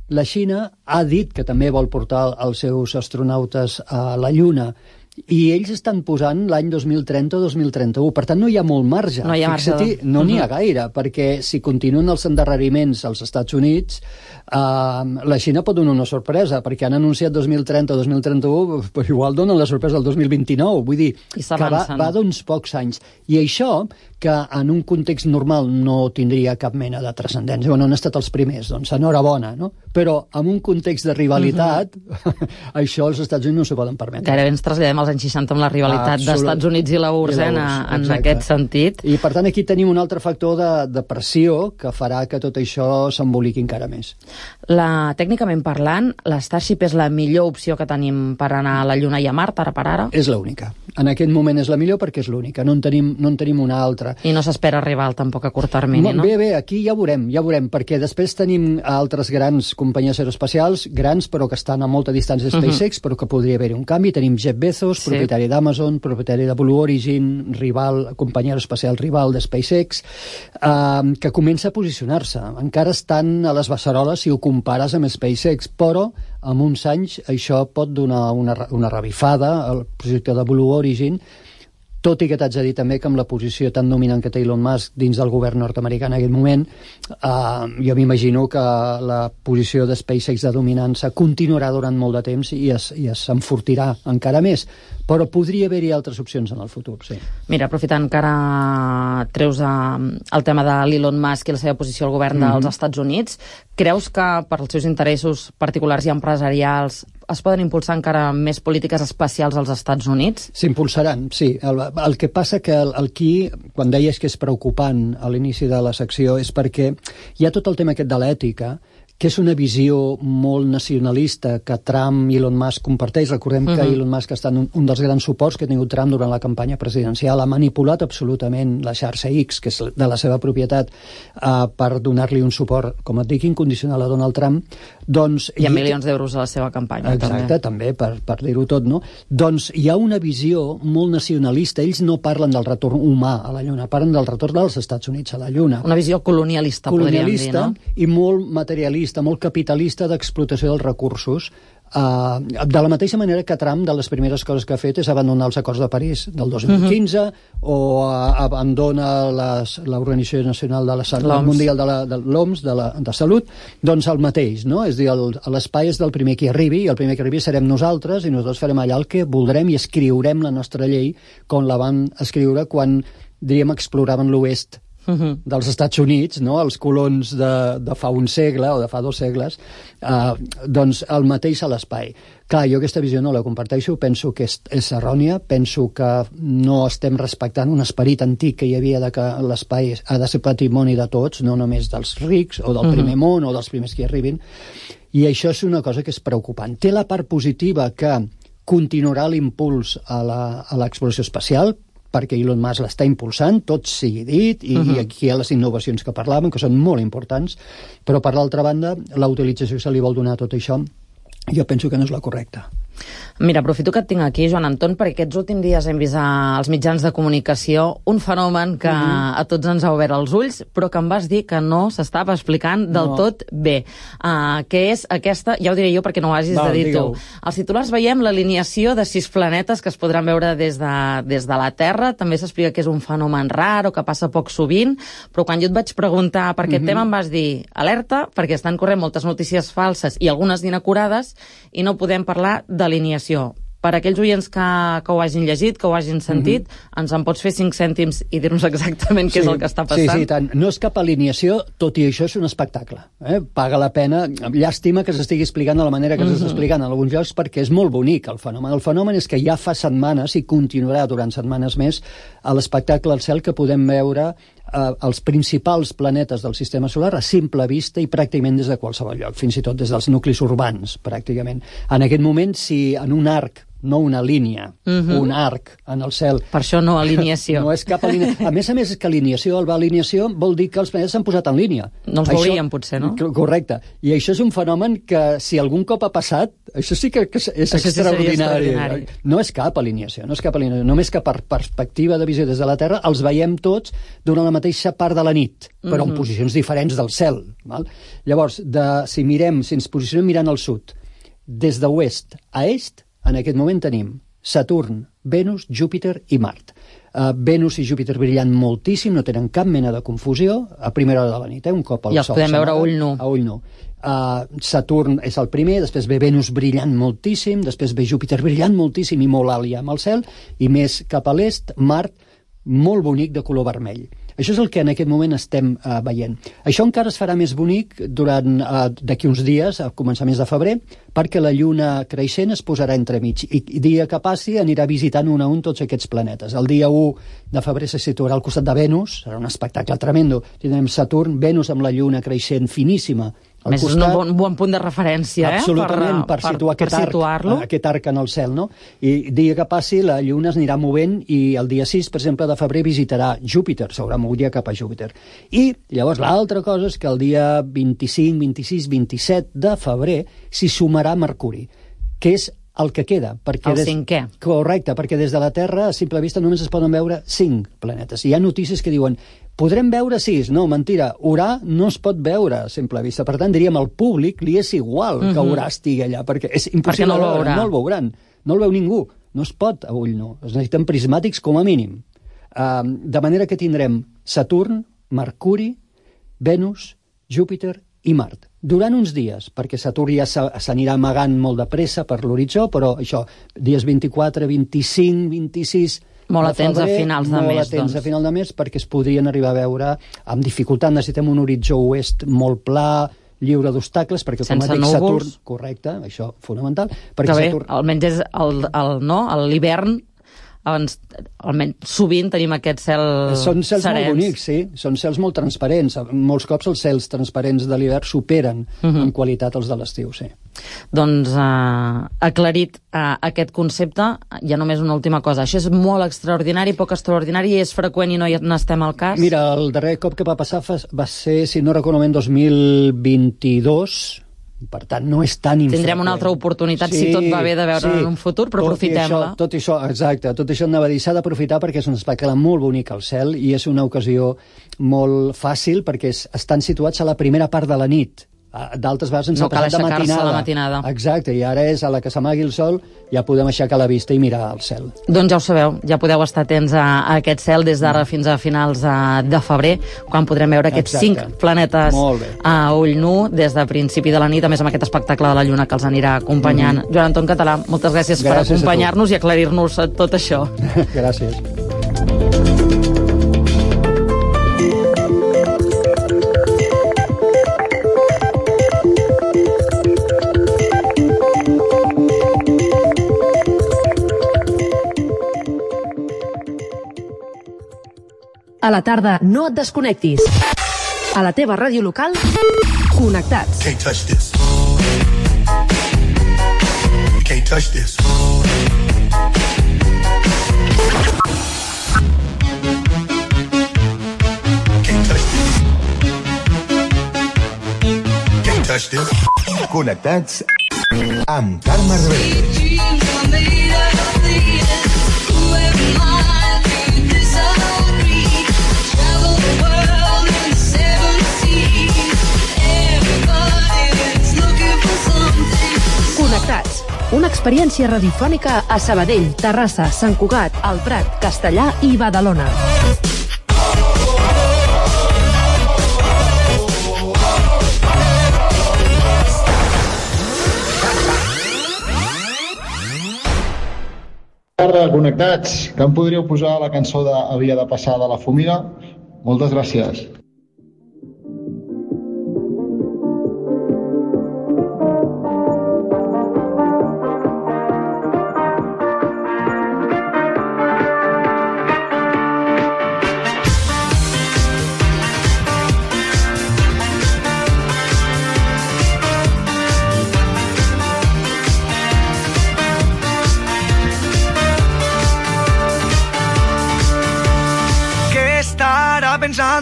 la Xina ha dit que també vol portar els seus astronautes a la Lluna i ells estan posant l'any dos mil trenta o dos mil trenta-u. Per tant, no hi ha molt marge.
No hi ha marge.
Fixa't, no n'hi ha gaire, perquè si continuen els endarreriments als Estats Units, eh, la Xina pot donar una sorpresa, perquè han anunciat dos mil trenta o dos mil trenta-u, però igual donen la sorpresa el dos mil vint-i-nou. Vull dir, que va, va d'uns pocs anys. I això, que en un context normal no tindria cap mena de transcendència. Bueno, han estat els primers, doncs enhorabona, no? Però en un context de rivalitat, uh-huh. això els Estats Units no s'ho poden permetre.
Gairebé ens traslladem als anys seixanta amb la rivalitat dels Estats Units i la U R S S en, en aquest sentit.
I per tant aquí tenim un altre factor de, de pressió que farà que tot això s'emboliqui encara més.
La, tècnicament parlant, la Starship és la millor opció que tenim per anar a la Lluna i a Mart, ara per ara?
És l'única. En aquest moment és la millor perquè és l'única. No en tenim, no en tenim una altra.
I no s'espera arribar tampoc a curt termini, no?
Bé, bé, aquí ja veurem, ja veurem, perquè després tenim altres grans companyies aeroespacials, grans però que estan a molta distància de SpaceX, uh-huh. però que podria haver-hi un canvi. Tenim Jeff Bezos, sí. propietari d'Amazon, propietari de Blue Origin, rival, companyia aeroespacial rival de SpaceX, eh, que comença a posicionar-se. Encara estan a les beceroles si ho compares amb SpaceX, però en uns anys això pot donar una, una revifada al projecte de Blue Origin, tot i que t'haig de dir també que amb la posició tan dominant que té Elon Musk dins del govern nord-americà en aquest moment, eh, jo m'imagino que la posició de SpaceX de dominança continuarà durant molt de temps i es, i es enfortirà encara més, però podria haver-hi altres opcions en el futur, sí.
Mira, aprofitant que ara treus eh, el tema de l'Elon Musk i la seva posició al govern mm-hmm. dels Estats Units, creus que per als seus interessos particulars i empresarials es poden impulsar encara més polítiques especials als Estats Units?
S'impulsaran, sí. El, el que passa que el, el aquí, quan deies que és preocupant a l'inici de la secció, és perquè hi ha tot el tema aquest de l'ètica, que és una visió molt nacionalista que Trump i Elon Musk comparteix. Recordem uh-huh. que Elon Musk està en un, un dels grans suports que ha tingut Trump durant la campanya presidencial. Ha manipulat absolutament la xarxa X, que és de la seva propietat, uh, per donar-li un suport, com et dic, incondicional a Donald Trump. Doncs,
I a milions d'euros a la seva campanya.
Exacte, també, també per, per dir-ho tot, no? Doncs hi ha una visió molt nacionalista. Ells no parlen del retorn humà a la Lluna, parlen del retorn dels Estats Units a la Lluna.
Una visió colonialista,
colonialista
podríem dir, no?
I molt materialista, molt capitalista d'explotació dels recursos. Uh, de la mateixa manera que Trump, de les primeres coses que ha fet és abandonar els acords de París del dos mil quinze uh-huh. o uh, abandona l'Organització Nacional de la Salut Mundial de la, de l'O M S de, la, de Salut, doncs el mateix, no? És a dir, l'espai és del primer que arribi i el primer que arribi serem nosaltres i nosaltres farem allà el que voldrem i escriurem la nostra llei com la van escriure quan, diríem, exploraven l'oest Uh-huh. dels Estats Units, no? Els colons de, de fa un segle o de fa dos segles, eh, doncs el mateix a l'espai. Clar, jo aquesta visió no la comparteixo, penso que és, és errònia, penso que no estem respectant un esperit antic que hi havia de que l'espai ha de ser patrimoni de tots, no només dels rics o del uh-huh. primer món o dels primers que hi arribin, i això és una cosa que és preocupant. Té la part positiva que continuarà l'impuls a l'exploració espacial, perquè Elon Musk l'està impulsant, tot sigui dit, i, uh-huh. i aquí hi ha les innovacions que parlàvem, que són molt importants, però per l'altra banda, la utilització que se li vol donar a tot això, jo penso que no és la correcta.
Mira, aprofito que et tinc aquí, Joan Anton, perquè aquests últims dies hem vist als mitjans de comunicació un fenomen que uh-huh. a tots ens ha obert els ulls, però que em vas dir que no s'estava explicant del no. tot bé. Uh, que és aquesta, ja ho diré jo perquè no ho hagis Val, de dir digueu. tu. Als titulars veiem l'alineació de sis planetes que es podran veure des de, des de la Terra. També s'explica que és un fenomen rar o que passa poc sovint, però quan jo et vaig preguntar per aquest uh-huh. tema em vas dir alerta, perquè estan corrent moltes notícies falses i algunes d'inacurades i no podem parlar d'alineació. Per aquells oients que, que ho hagin llegit, que ho hagin sentit, mm-hmm. ens en pots fer cinc cèntims i dir-nos exactament què sí, és el que està passant?
Sí, sí, tant. No és cap alineació, tot i això és un espectacle. Eh? Paga la pena. Llàstima que s'estigui explicant de la manera que mm-hmm. s'està explicant en alguns llocs, perquè és molt bonic el fenomen. El fenomen és que ja fa setmanes, i continuarà durant setmanes més, a l'espectacle al cel que podem veure eh, els principals planetes del sistema solar a simple vista i pràcticament des de qualsevol lloc, fins i tot des dels nuclis urbans, pràcticament. En aquest moment, si en un arc, no una línia, uh-huh. un arc en el cel...
Per això no alineació.
No és cap alineació. A més a més, és que alineació, el va alineació, vol dir que els planetes s'han posat en línia.
No els veurien, potser, no?
Correcte. I això és un fenomen que, si algun cop ha passat, això sí que, que és això extraordinari. Sí extraordinari. No és cap alineació, no és cap alineació. Només que per perspectiva de visió des de la Terra els veiem tots durant la mateixa part de la nit, però uh-huh. en posicions diferents del cel. Val? Llavors, de, si mirem, si ens posicionem mirant al sud, des d'oest a est, en aquest moment tenim Saturn, Venus, Júpiter i Mart. Uh, Venus i Júpiter brillant moltíssim, no tenen cap mena de confusió, a primera hora de la nit, eh? Un cop el
I els
sol
podem veure a ull nu.
A ull nu. Uh, Saturn és el primer, després ve Venus brillant moltíssim, després ve Júpiter brillant moltíssim i molt alt ja amb el cel, i més cap a l'est, Mart, molt bonic de color vermell. Això és el que en aquest moment estem uh, veient. Això encara es farà més bonic durant uh, d'aquí uns dies, a començaments de febrer, perquè la lluna creixent es posarà entremig i, i dia que passi anirà visitant un a un tots aquests planetes. El dia u de febrer se situarà al costat de Venus, serà un espectacle tremendo. Tindrem Saturn, Venus amb la lluna creixent finíssima,
al més costat, és un bon, bon punt de referència,
absolutament,
eh?
per, per situar per, aquest, per arc, aquest arc en el cel, no? I dia que passi, la lluna es anirà movent i el dia sis, per exemple, de febrer visitarà Júpiter, s'haurà mogut ja cap a Júpiter. I llavors l'altra cosa és que el dia vint-i-cinc, vint-i-sis, vint-i-set de febrer s'hi sumarà Mercuri, que és el que queda. Perquè
el
des...
cinquè.
Correcte, perquè des de la Terra, a simple vista, només es poden veure cinc planetes. Hi ha notícies que diuen podrem veure sis. No, mentira. Urà no es pot veure a simple vista. Per tant, diríem, al públic li és igual uh-huh. que Urà estigui allà, perquè és impossible
perquè no el
veure.
veurà.
No el veuran. No el veu ningú. No es pot a ull nu. Es necessiten prismàtics com a mínim. Uh, de manera que tindrem Saturn, Mercuri, Venus, Júpiter i Mart. Durant uns dies, perquè Saturn ja s'anirà amagant molt de pressa per l'horitzó, però això, dies vint-i-quatre, vint-i-cinc, vint-i-sis...
Molt atents a finals de mes, doncs.
Molt atents a final de mes, perquè es podrien arribar a veure amb dificultat. Necessitem un horitzó oest molt pla, lliure d'obstacles, perquè com a dic Saturn... Correcte, això fonamental.
Que bé, Saturn... almenys és el, el, no, l'hivern... Doncs, almenys sovint tenim aquest cel
Són cels
serens.
Molt bonics, sí. Són cels molt transparents. Molts cops els cels transparents de l'hivern superen uh-huh. en qualitat els de l'estiu, sí.
Doncs uh, aclarit uh, aquest concepte, ja només una última cosa. Això és molt extraordinari, poc extraordinari, és freqüent i no hi n'estem al cas?
Mira, el darrer cop que va passar va ser, si no recordo bé, en dos mil vint-i-dos. Per tant, no és tan infreqüent.
Tindrem una altra oportunitat, sí, si tot va bé, de veure sí. en un futur, però aprofitem-la.
Tot això, exacte, tot això anava a dir, s'ha d'aprofitar perquè és un espectacle molt bonic al cel i és una ocasió molt fàcil perquè es, estan situats a la primera part de la nit. D'altres vegades ens
no
ha passat de matinada.
la matinada.
Exacte, i ara és a la que s'amagui el sol, ja podem aixecar la vista i mirar al cel.
Doncs ja ho sabeu, ja podeu estar atents a, a aquest cel des d'ara fins a finals de, de febrer, quan podrem veure aquests Exacte. cinc planetes a ull nu des de principi de la nit, a més amb aquest espectacle de la Lluna que els anirà acompanyant. Mm-hmm. Joan Anton Català, moltes gràcies, gràcies per acompanyar-nos i aclarir-nos tot això.
Gràcies.
A la tarda, no et desconnectis. A la teva ràdio local, connectats.
Can't touch this. Can't touch this. Can't touch this. Can't touch this.
Connectats amb Carme Reverte.
Connectats, una experiència radiofònica a Sabadell, Terrassa, Sant Cugat, El Prat, Castellà i Badalona.
Tarda, connectats, que em podríeu posar la cançó de Havia de passar de la Fumina? Moltes gràcies.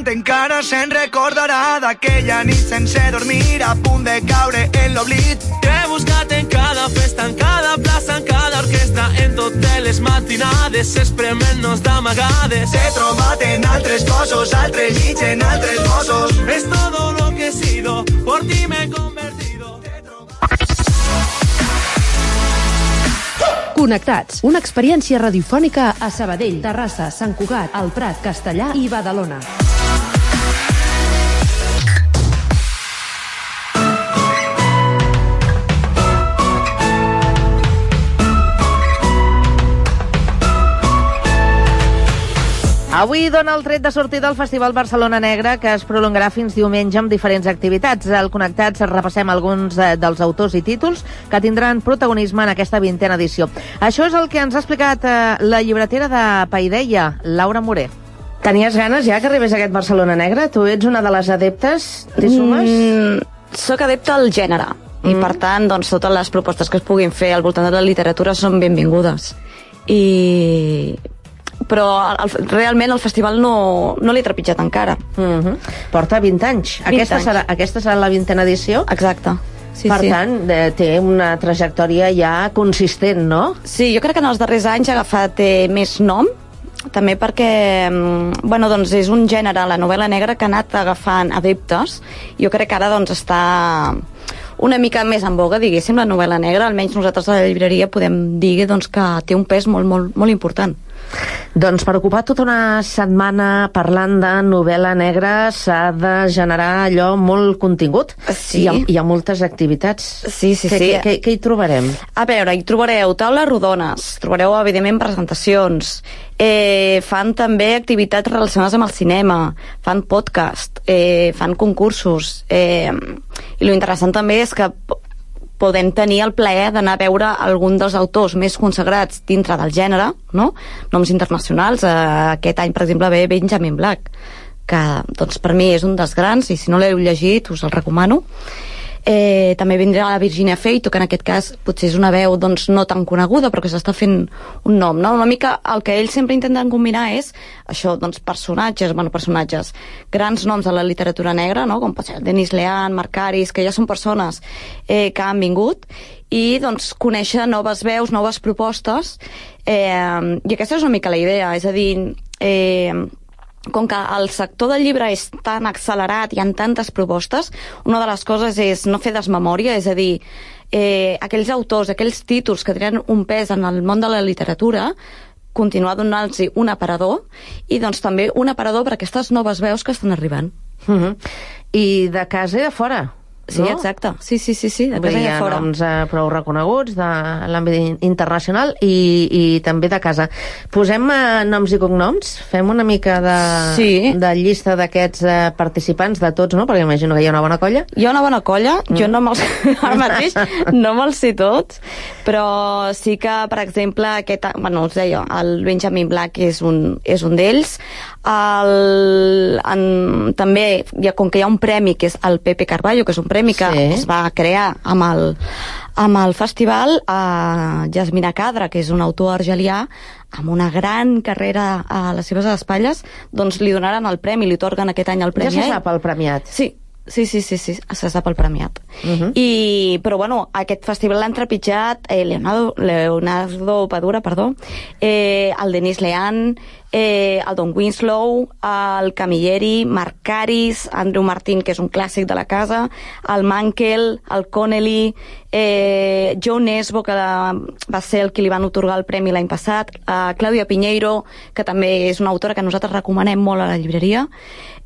Encara se'n recordarà d'aquella nit sense dormir, a punt de caure en l'oblit.
T'he buscat en cada festa, en cada plaça, en cada orquestra, en totes les matinades, esprement-nos d'amagades.
T'he trobat en altres cossos, altres llits, en altres bossos.
Es todo lo que he sido, por ti me he convertido.
Connectats, una experiència radiofònica a Sabadell, Terrassa, Sant Cugat, El Prat, Castellà i Badalona.
Avui dona el tret de sortida al Festival Barcelona Negra, que es prolongarà fins diumenge amb diferents activitats. Al Connectats repassem alguns dels autors i títols que tindran protagonisme en aquesta vintena edició. Això és el que ens ha explicat eh, la llibretera de Paideia, Laura Moré.
Tenies ganes ja que arribés aquest Barcelona Negra? Tu ets una de les adeptes? T'hi sumes?
Mm, soc adepta al gènere. Mm. I per tant, doncs, totes les propostes que es puguin fer al voltant de la literatura són benvingudes. I... però el, realment el festival no, no l'he trepitjat encara.
Mm-hmm. Porta vint anys.
vint
aquesta,
anys.
Serà, aquesta serà la vintena edició?
Exacte. Sí,
per
sí.
tant, eh, té una trajectòria ja consistent, no?
Sí, jo crec que en els darrers anys ha agafat eh, més nom, també perquè bueno, doncs és un gènere, la novel·la negra, que ha anat agafant adeptes. Jo crec que ara doncs, està una mica més en boga, diguéssim, la novel·la negra. Almenys nosaltres a la llibreria podem dir doncs, que té un pes molt, molt, molt important.
Doncs per ocupar tota una setmana parlant de novel·la negra s'ha de generar allò molt contingut.
Sí.
Hi ha, hi ha moltes activitats.
Sí, sí,
què,
sí.
Què, què, què hi trobarem?
A veure, hi trobareu taules rodones, trobareu evidentment presentacions, eh, fan també activitats relacionades amb el cinema, fan podcast, eh, fan concursos, eh, i lo interessant també és que podem tenir el plaer d'anar a veure algun dels autors més consagrats dintre del gènere, no? Noms internacionals. Eh, aquest any, per exemple, ve Benjamin Black, que doncs, per mi és un dels grans, i si no l'heu llegit us el recomano. Eh, també vindrà la Virginia Feito, que en aquest cas potser és una veu doncs, no tan coneguda, però que s'està fent un nom, no? Una mica el que ells sempre intenten combinar és això, doncs, personatges, bueno, personatges, grans noms de la literatura negra, no? Com pot ser Denis Lehan, Marc Caris, que ja són persones eh, que han vingut, i doncs conèixer noves veus, noves propostes, eh, i aquesta és una mica la idea, és a dir, eh, com que el sector del llibre és tan accelerat, hi ha tantes propostes, una de les coses és no fer desmemòria, és a dir, eh, aquells autors, aquells títols que tenen un pes en el món de la literatura, continuar donant-los un aparador, i doncs també un aparador per a aquestes noves veus que estan arribant.
Uh-huh. I de casa i de fora.
Sí, no? Exacte. Sí, sí, sí, sí, de casa i de fora. Hi ha
noms eh, prou reconeguts de l'àmbit internacional i, i també de casa. Posem eh, noms i cognoms? Fem una mica de,
sí.
de llista d'aquests eh, participants, de tots, no? Perquè imagino que hi ha una bona colla.
Hi ha una bona colla. Mm. Jo no me'ls... ara mateix no me'ls sé tots, però sí que, per exemple, aquest... Bueno, us deia, el Benjamin Black és un, és un d'ells. El, en, també, ja, com que hi ha un premi que és el Pepe Carballo, que és un premi que sí. es va crear amb el, amb el festival, a Yasmina Kadra, que és un autor argelià amb una gran carrera a les seves espatlles, doncs li donaran el premi, li atorguen aquest any el premi.
Ja se sap el premiat.
Sí, sí, sí, sí, sí, se sap el premiat.
Uh-huh.
I, però bueno, aquest festival l'han trepitjat eh, Leonardo, Leonardo Padura, perdó, eh, el Denis Lehan, eh, el Don Winslow, el Camilleri, Marc Caris, Andrew Martin, que és un clàssic de la casa, el Mankel, el Connelly, eh, Joe Nesbo, que va ser el que li van otorgar el premi l'any passat, eh, Claudia Piñeiro, que també és una autora que nosaltres recomanem molt a la llibreria,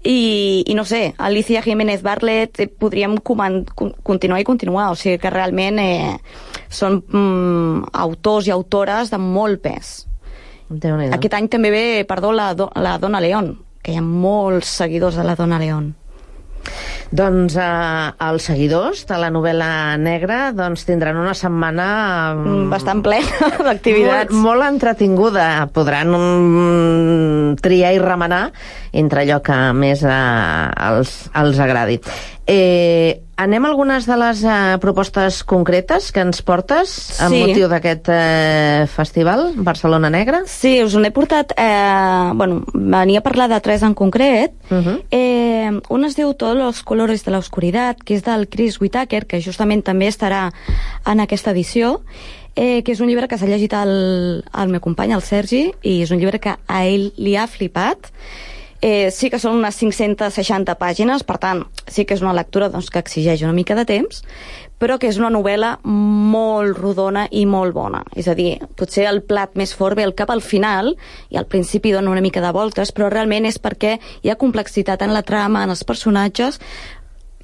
i, i no sé, Alicia Jiménez Bartlett, eh, podríem coman- continuar i continuar, o sigui que realment eh, són mm, autors i autores de molt pes. Aquest any també ve, perdó, la, do, la Donna León, que hi ha molts seguidors de la Donna León.
Doncs eh, els seguidors de la novel·la negra doncs tindran una setmana
mm, bastant plena d'activitats.
Molt, molt entretinguda. Podran um, triar i remenar entre allò que més eh, els, els agradi. Eh, anem a algunes de les eh, propostes concretes que ens portes amb
sí.
motiu d'aquest eh, festival Barcelona Negra?
Sí, us n'he portat eh, bueno, venia a parlar de tres en concret.
Uh-huh.
eh, un es diu Todos los colores de la oscuridad, que és del Chris Whittaker, que justament també estarà en aquesta edició, eh, que és un llibre que s'ha llegit el, el meu company, el Sergi, i és un llibre que a ell li ha flipat. Eh, sí que són unes cinc-centes seixanta pàgines, per tant, sí que és una lectura doncs, que exigeix una mica de temps, però que és una novel·la molt rodona i molt bona. És a dir, potser el plat més fort ve al cap al final, i al principi dona una mica de voltes, però realment és perquè hi ha complexitat en la trama, en els personatges,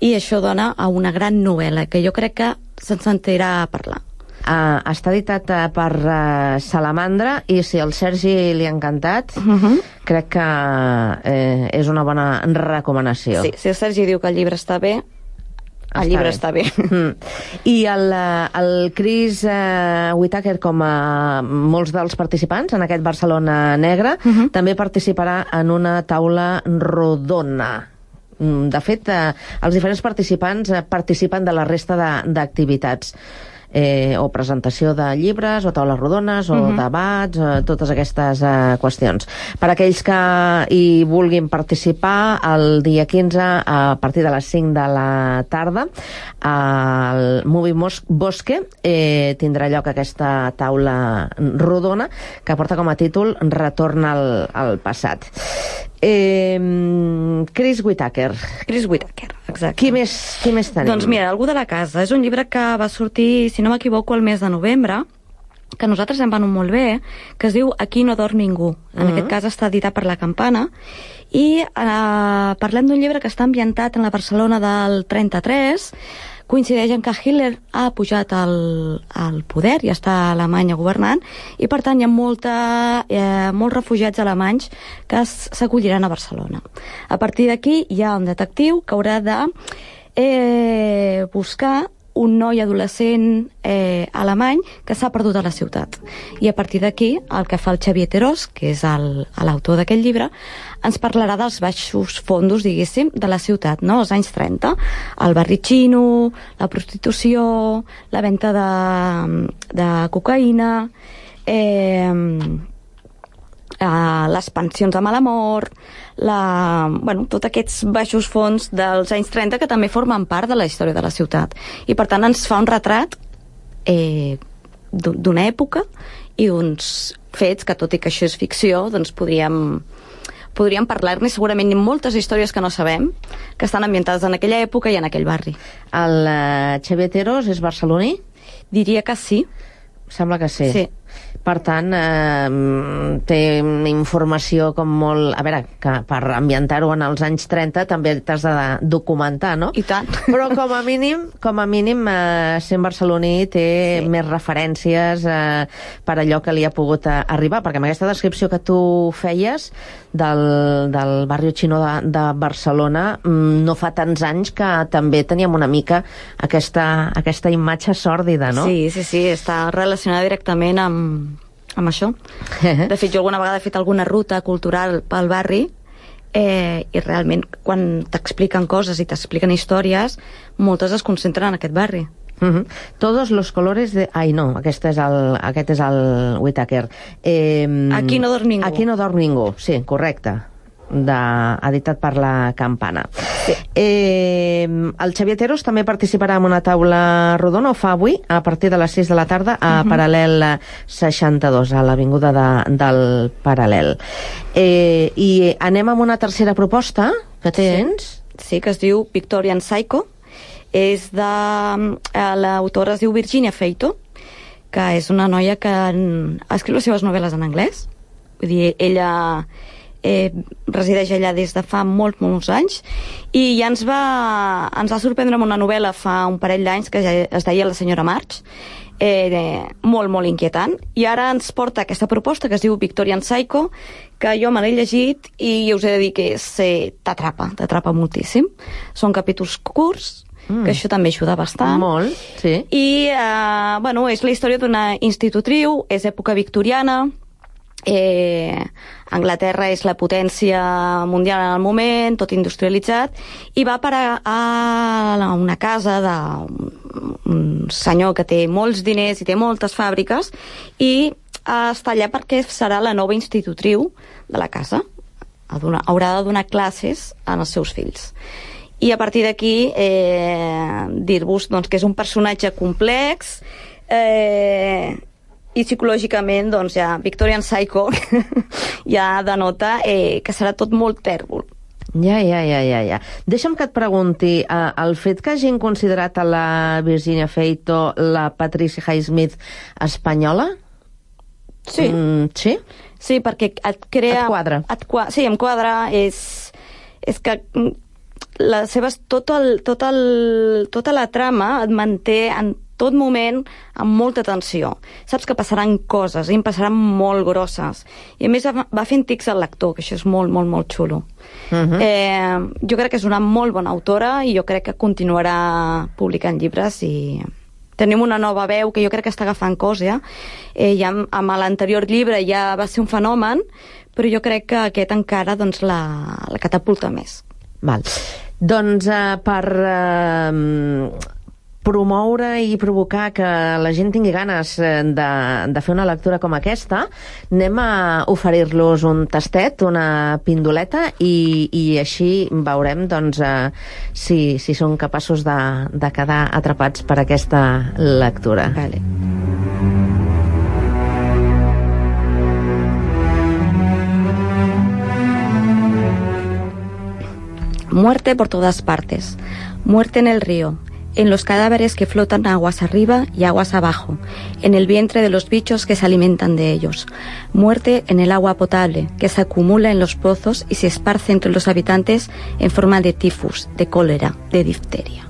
i això dona a una gran novel·la, que jo crec que se'n sentirà a parlar.
Uh, està editat uh, per uh, Salamandra, i si al Sergi li ha encantat, uh-huh. crec que uh, és una bona recomanació.
Sí, si el Sergi diu que el llibre està bé, el està llibre bé. està bé.
Mm. I el, el Chris uh, Whittaker, com a molts dels participants en aquest Barcelona Negra, uh-huh. també participarà en una taula rodona. De fet, uh, els diferents participants uh, participen de la resta d'activitats. Eh, o presentació de llibres, o taules rodones, o uh-huh. debats, eh, totes aquestes eh, qüestions. Per aquells que hi vulguin participar, el dia quinze, a partir de les cinc de la tarda, al Movie Bosque eh, tindrà lloc aquesta taula rodona, que porta com a títol Retorn al, al passat. Eh, Chris Whittaker.
Chris Whittaker, exacte.
Qui més, qui més tenim?
Doncs mira, Algú de la casa. És un llibre que va sortir, si no m'equivoco, el mes de novembre, que a nosaltres em va anar molt bé, que es diu Aquí no dorm ningú. En uh-huh. aquest cas està editat per La Campana, i eh, parlem d'un llibre que està ambientat en la Barcelona del trenta-tres, coincideix en que Hitler ha pujat al, al poder i està a Alemanya governant, i per tant hi ha molta, eh, molts refugiats alemanys que s'acolliran a Barcelona. A partir d'aquí hi ha un detectiu que haurà de eh, buscar un noi adolescent eh, alemany que s'ha perdut a la ciutat. I a partir d'aquí, el que fa el Xavier Terós, que és l'autor d'aquest llibre, ens parlarà dels baixos fondos, diguéssim, de la ciutat, no? Els anys trenta. El barri xino, la prostitució, la venda de, de cocaïna, eh, eh, les pensions de mala mort, la, bueno, tots aquests baixos fons dels anys trenta que també formen part de la història de la ciutat. I per tant ens fa un retrat eh, d'una època i uns fets que, tot i que això és ficció, doncs podríem, podríem parlar-ne segurament de moltes històries que no sabem, que estan ambientades en aquella època i en aquell barri.
El uh, Xavier Terós és barceloní?
Diria que sí.
Sembla que sí.
Sí.
Per tant, eh, té informació com molt... A veure, que per ambientar-ho en els anys trenta també t'has de documentar, no?
I tant.
Però com a mínim, com a mínim eh, sent barceloní té sí. més referències eh, per allò que li ha pogut eh, arribar, perquè amb aquesta descripció que tu feies del, del barri xino de, de Barcelona, mm, no fa tants anys que també teníem una mica aquesta, aquesta imatge sòrdida, no?
Sí, sí, sí, està relacionada directament amb amb això. De fet, jo alguna vegada he fet alguna ruta cultural pel barri eh, i realment quan t'expliquen coses i t'expliquen històries, moltes es concentren en aquest barri.
Uh-huh. Todos los colores de... Ai, no, aquest és el, aquest és el Whittaker. Eh,
Aquí no dorm ningú.
Aquí no dorm ningú, sí, correcte. De, editat per La Campana. Sí. Eh, el Xavier Terós també participarà en una taula rodona, ho fa avui, a partir de les sis de la tarda, a uh-huh. Paral·lel seixanta-dos, a l'Avinguda de, del Paral·lel. Eh, I anem amb una tercera proposta que tens.
Sí, sí, que es diu Victorian Psycho. És de... L'autora es diu Virginia Feito, que és una noia que escriu les seves novel·les en anglès. Vull dir, ella... Eh, resideix allà des de fa molts, molts anys, i ja ens va, ens va sorprendre amb una novel·la fa un parell d'anys que ja es deia La senyora March, eh, molt, molt inquietant, i ara ens porta aquesta proposta que es diu Victorian Psycho, que jo me l'he llegit i us he de dir que eh, t'atrapa, t'atrapa moltíssim. Són capítols curts, Mm. que això també ajuda bastant.
Molt, sí.
I, eh, bueno, és la història d'una institutriu, és època victoriana, eh, Anglaterra és la potència mundial en el moment, tot industrialitzat, i va parar a una casa d'un senyor que té molts diners i té moltes fàbriques, i està allà perquè serà la nova institutriu de la casa. Haurà de donar classes als seus fills. I a partir d'aquí eh, dir-vos doncs, que és un personatge complex, eh, i psicològicament doncs, ja Victorian Psycho ja denota eh, que serà tot molt tèrbol.
Ja, ja, ja, ja, ja. Deixa'm que et pregunti, eh, el fet que hagin considerat a la Virginia Feito la Patricia Highsmith espanyola?
Sí.
Mm, sí?
Sí, perquè et crea...
Et quadra.
Et qua... Sí, em quadra. És, és que les seves, tot el, tot el, tota la trama et manté en tot moment amb molta tensió. Saps que passaran coses, i em passaran molt grosses. I a més va fent tics al lector, que això és molt, molt, molt xulo. Uh-huh. eh, jo crec que és una molt bona autora i jo crec que continuarà publicant llibres, i tenim una nova veu que jo crec que està agafant cosa. Eh, ja amb l'anterior llibre ja va ser un fenomen, però jo crec que aquest encara doncs, la, la catapulta més.
Val. Doncs eh, per eh, promoure i provocar que la gent tingui ganes de, de fer una lectura com aquesta, anem a oferir-los un tastet, una pindoleta, i, i així veurem doncs, eh, si, si són capaços de, de quedar atrapats per aquesta lectura.
Vale. Muerte por todas partes. Muerte en el río, en los cadáveres que flotan aguas arriba y aguas abajo, en el vientre de los bichos que se alimentan de ellos. Muerte en el agua potable, que se acumula en los pozos y se esparce entre los habitantes en forma de tifus, de cólera, de difteria.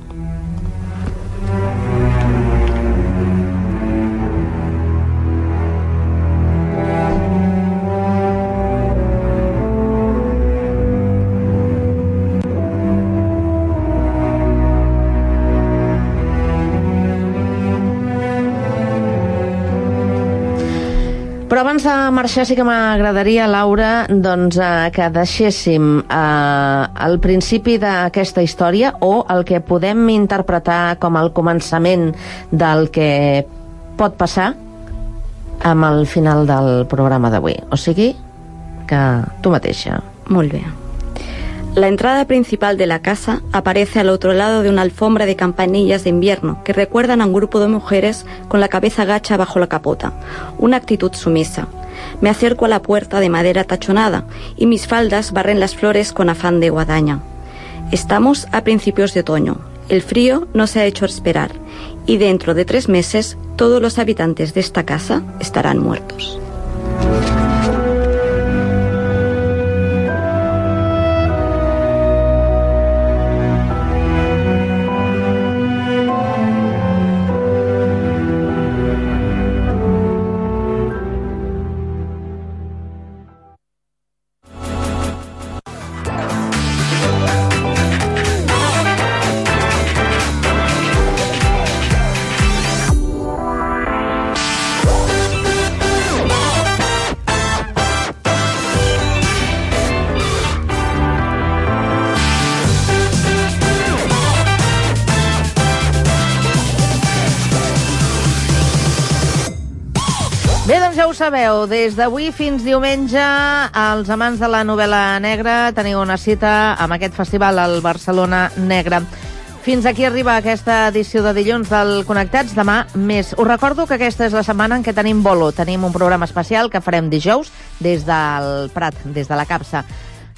Però abans de marxar sí que m'agradaria, Laura, doncs, eh, que deixéssim eh, el principi d'aquesta història o el que podem interpretar com el començament del que pot passar amb el final del programa d'avui. O sigui, que tu mateixa.
Molt bé. La entrada principal de la casa aparece al otro lado de una alfombra de campanillas de invierno que recuerdan a un grupo de mujeres con la cabeza gacha bajo la capota, una actitud sumisa. Me acerco a la puerta de madera tachonada y mis faldas barren las flores con afán de guadaña. Estamos a principios de otoño, el frío no se ha hecho esperar y dentro de tres meses todos los habitantes de esta casa estarán muertos.
Bé, doncs ja ho sabeu, des d'avui fins diumenge, els amants de la novel·la negra teniu una cita amb aquest festival al Barcelona Negre. Fins aquí arriba aquesta edició de dilluns del Connectats. Demà més. Us recordo que aquesta és la setmana en què tenim bolo. Tenim un programa especial que farem dijous des del Prat, des de la Capsa.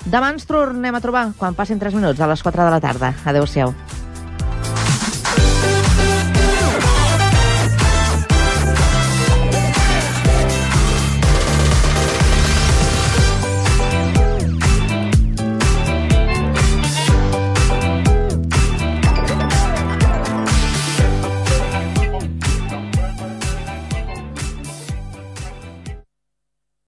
Demà ens tornem a trobar quan passin tres minuts a les quatre de la tarda. Adéu-siau.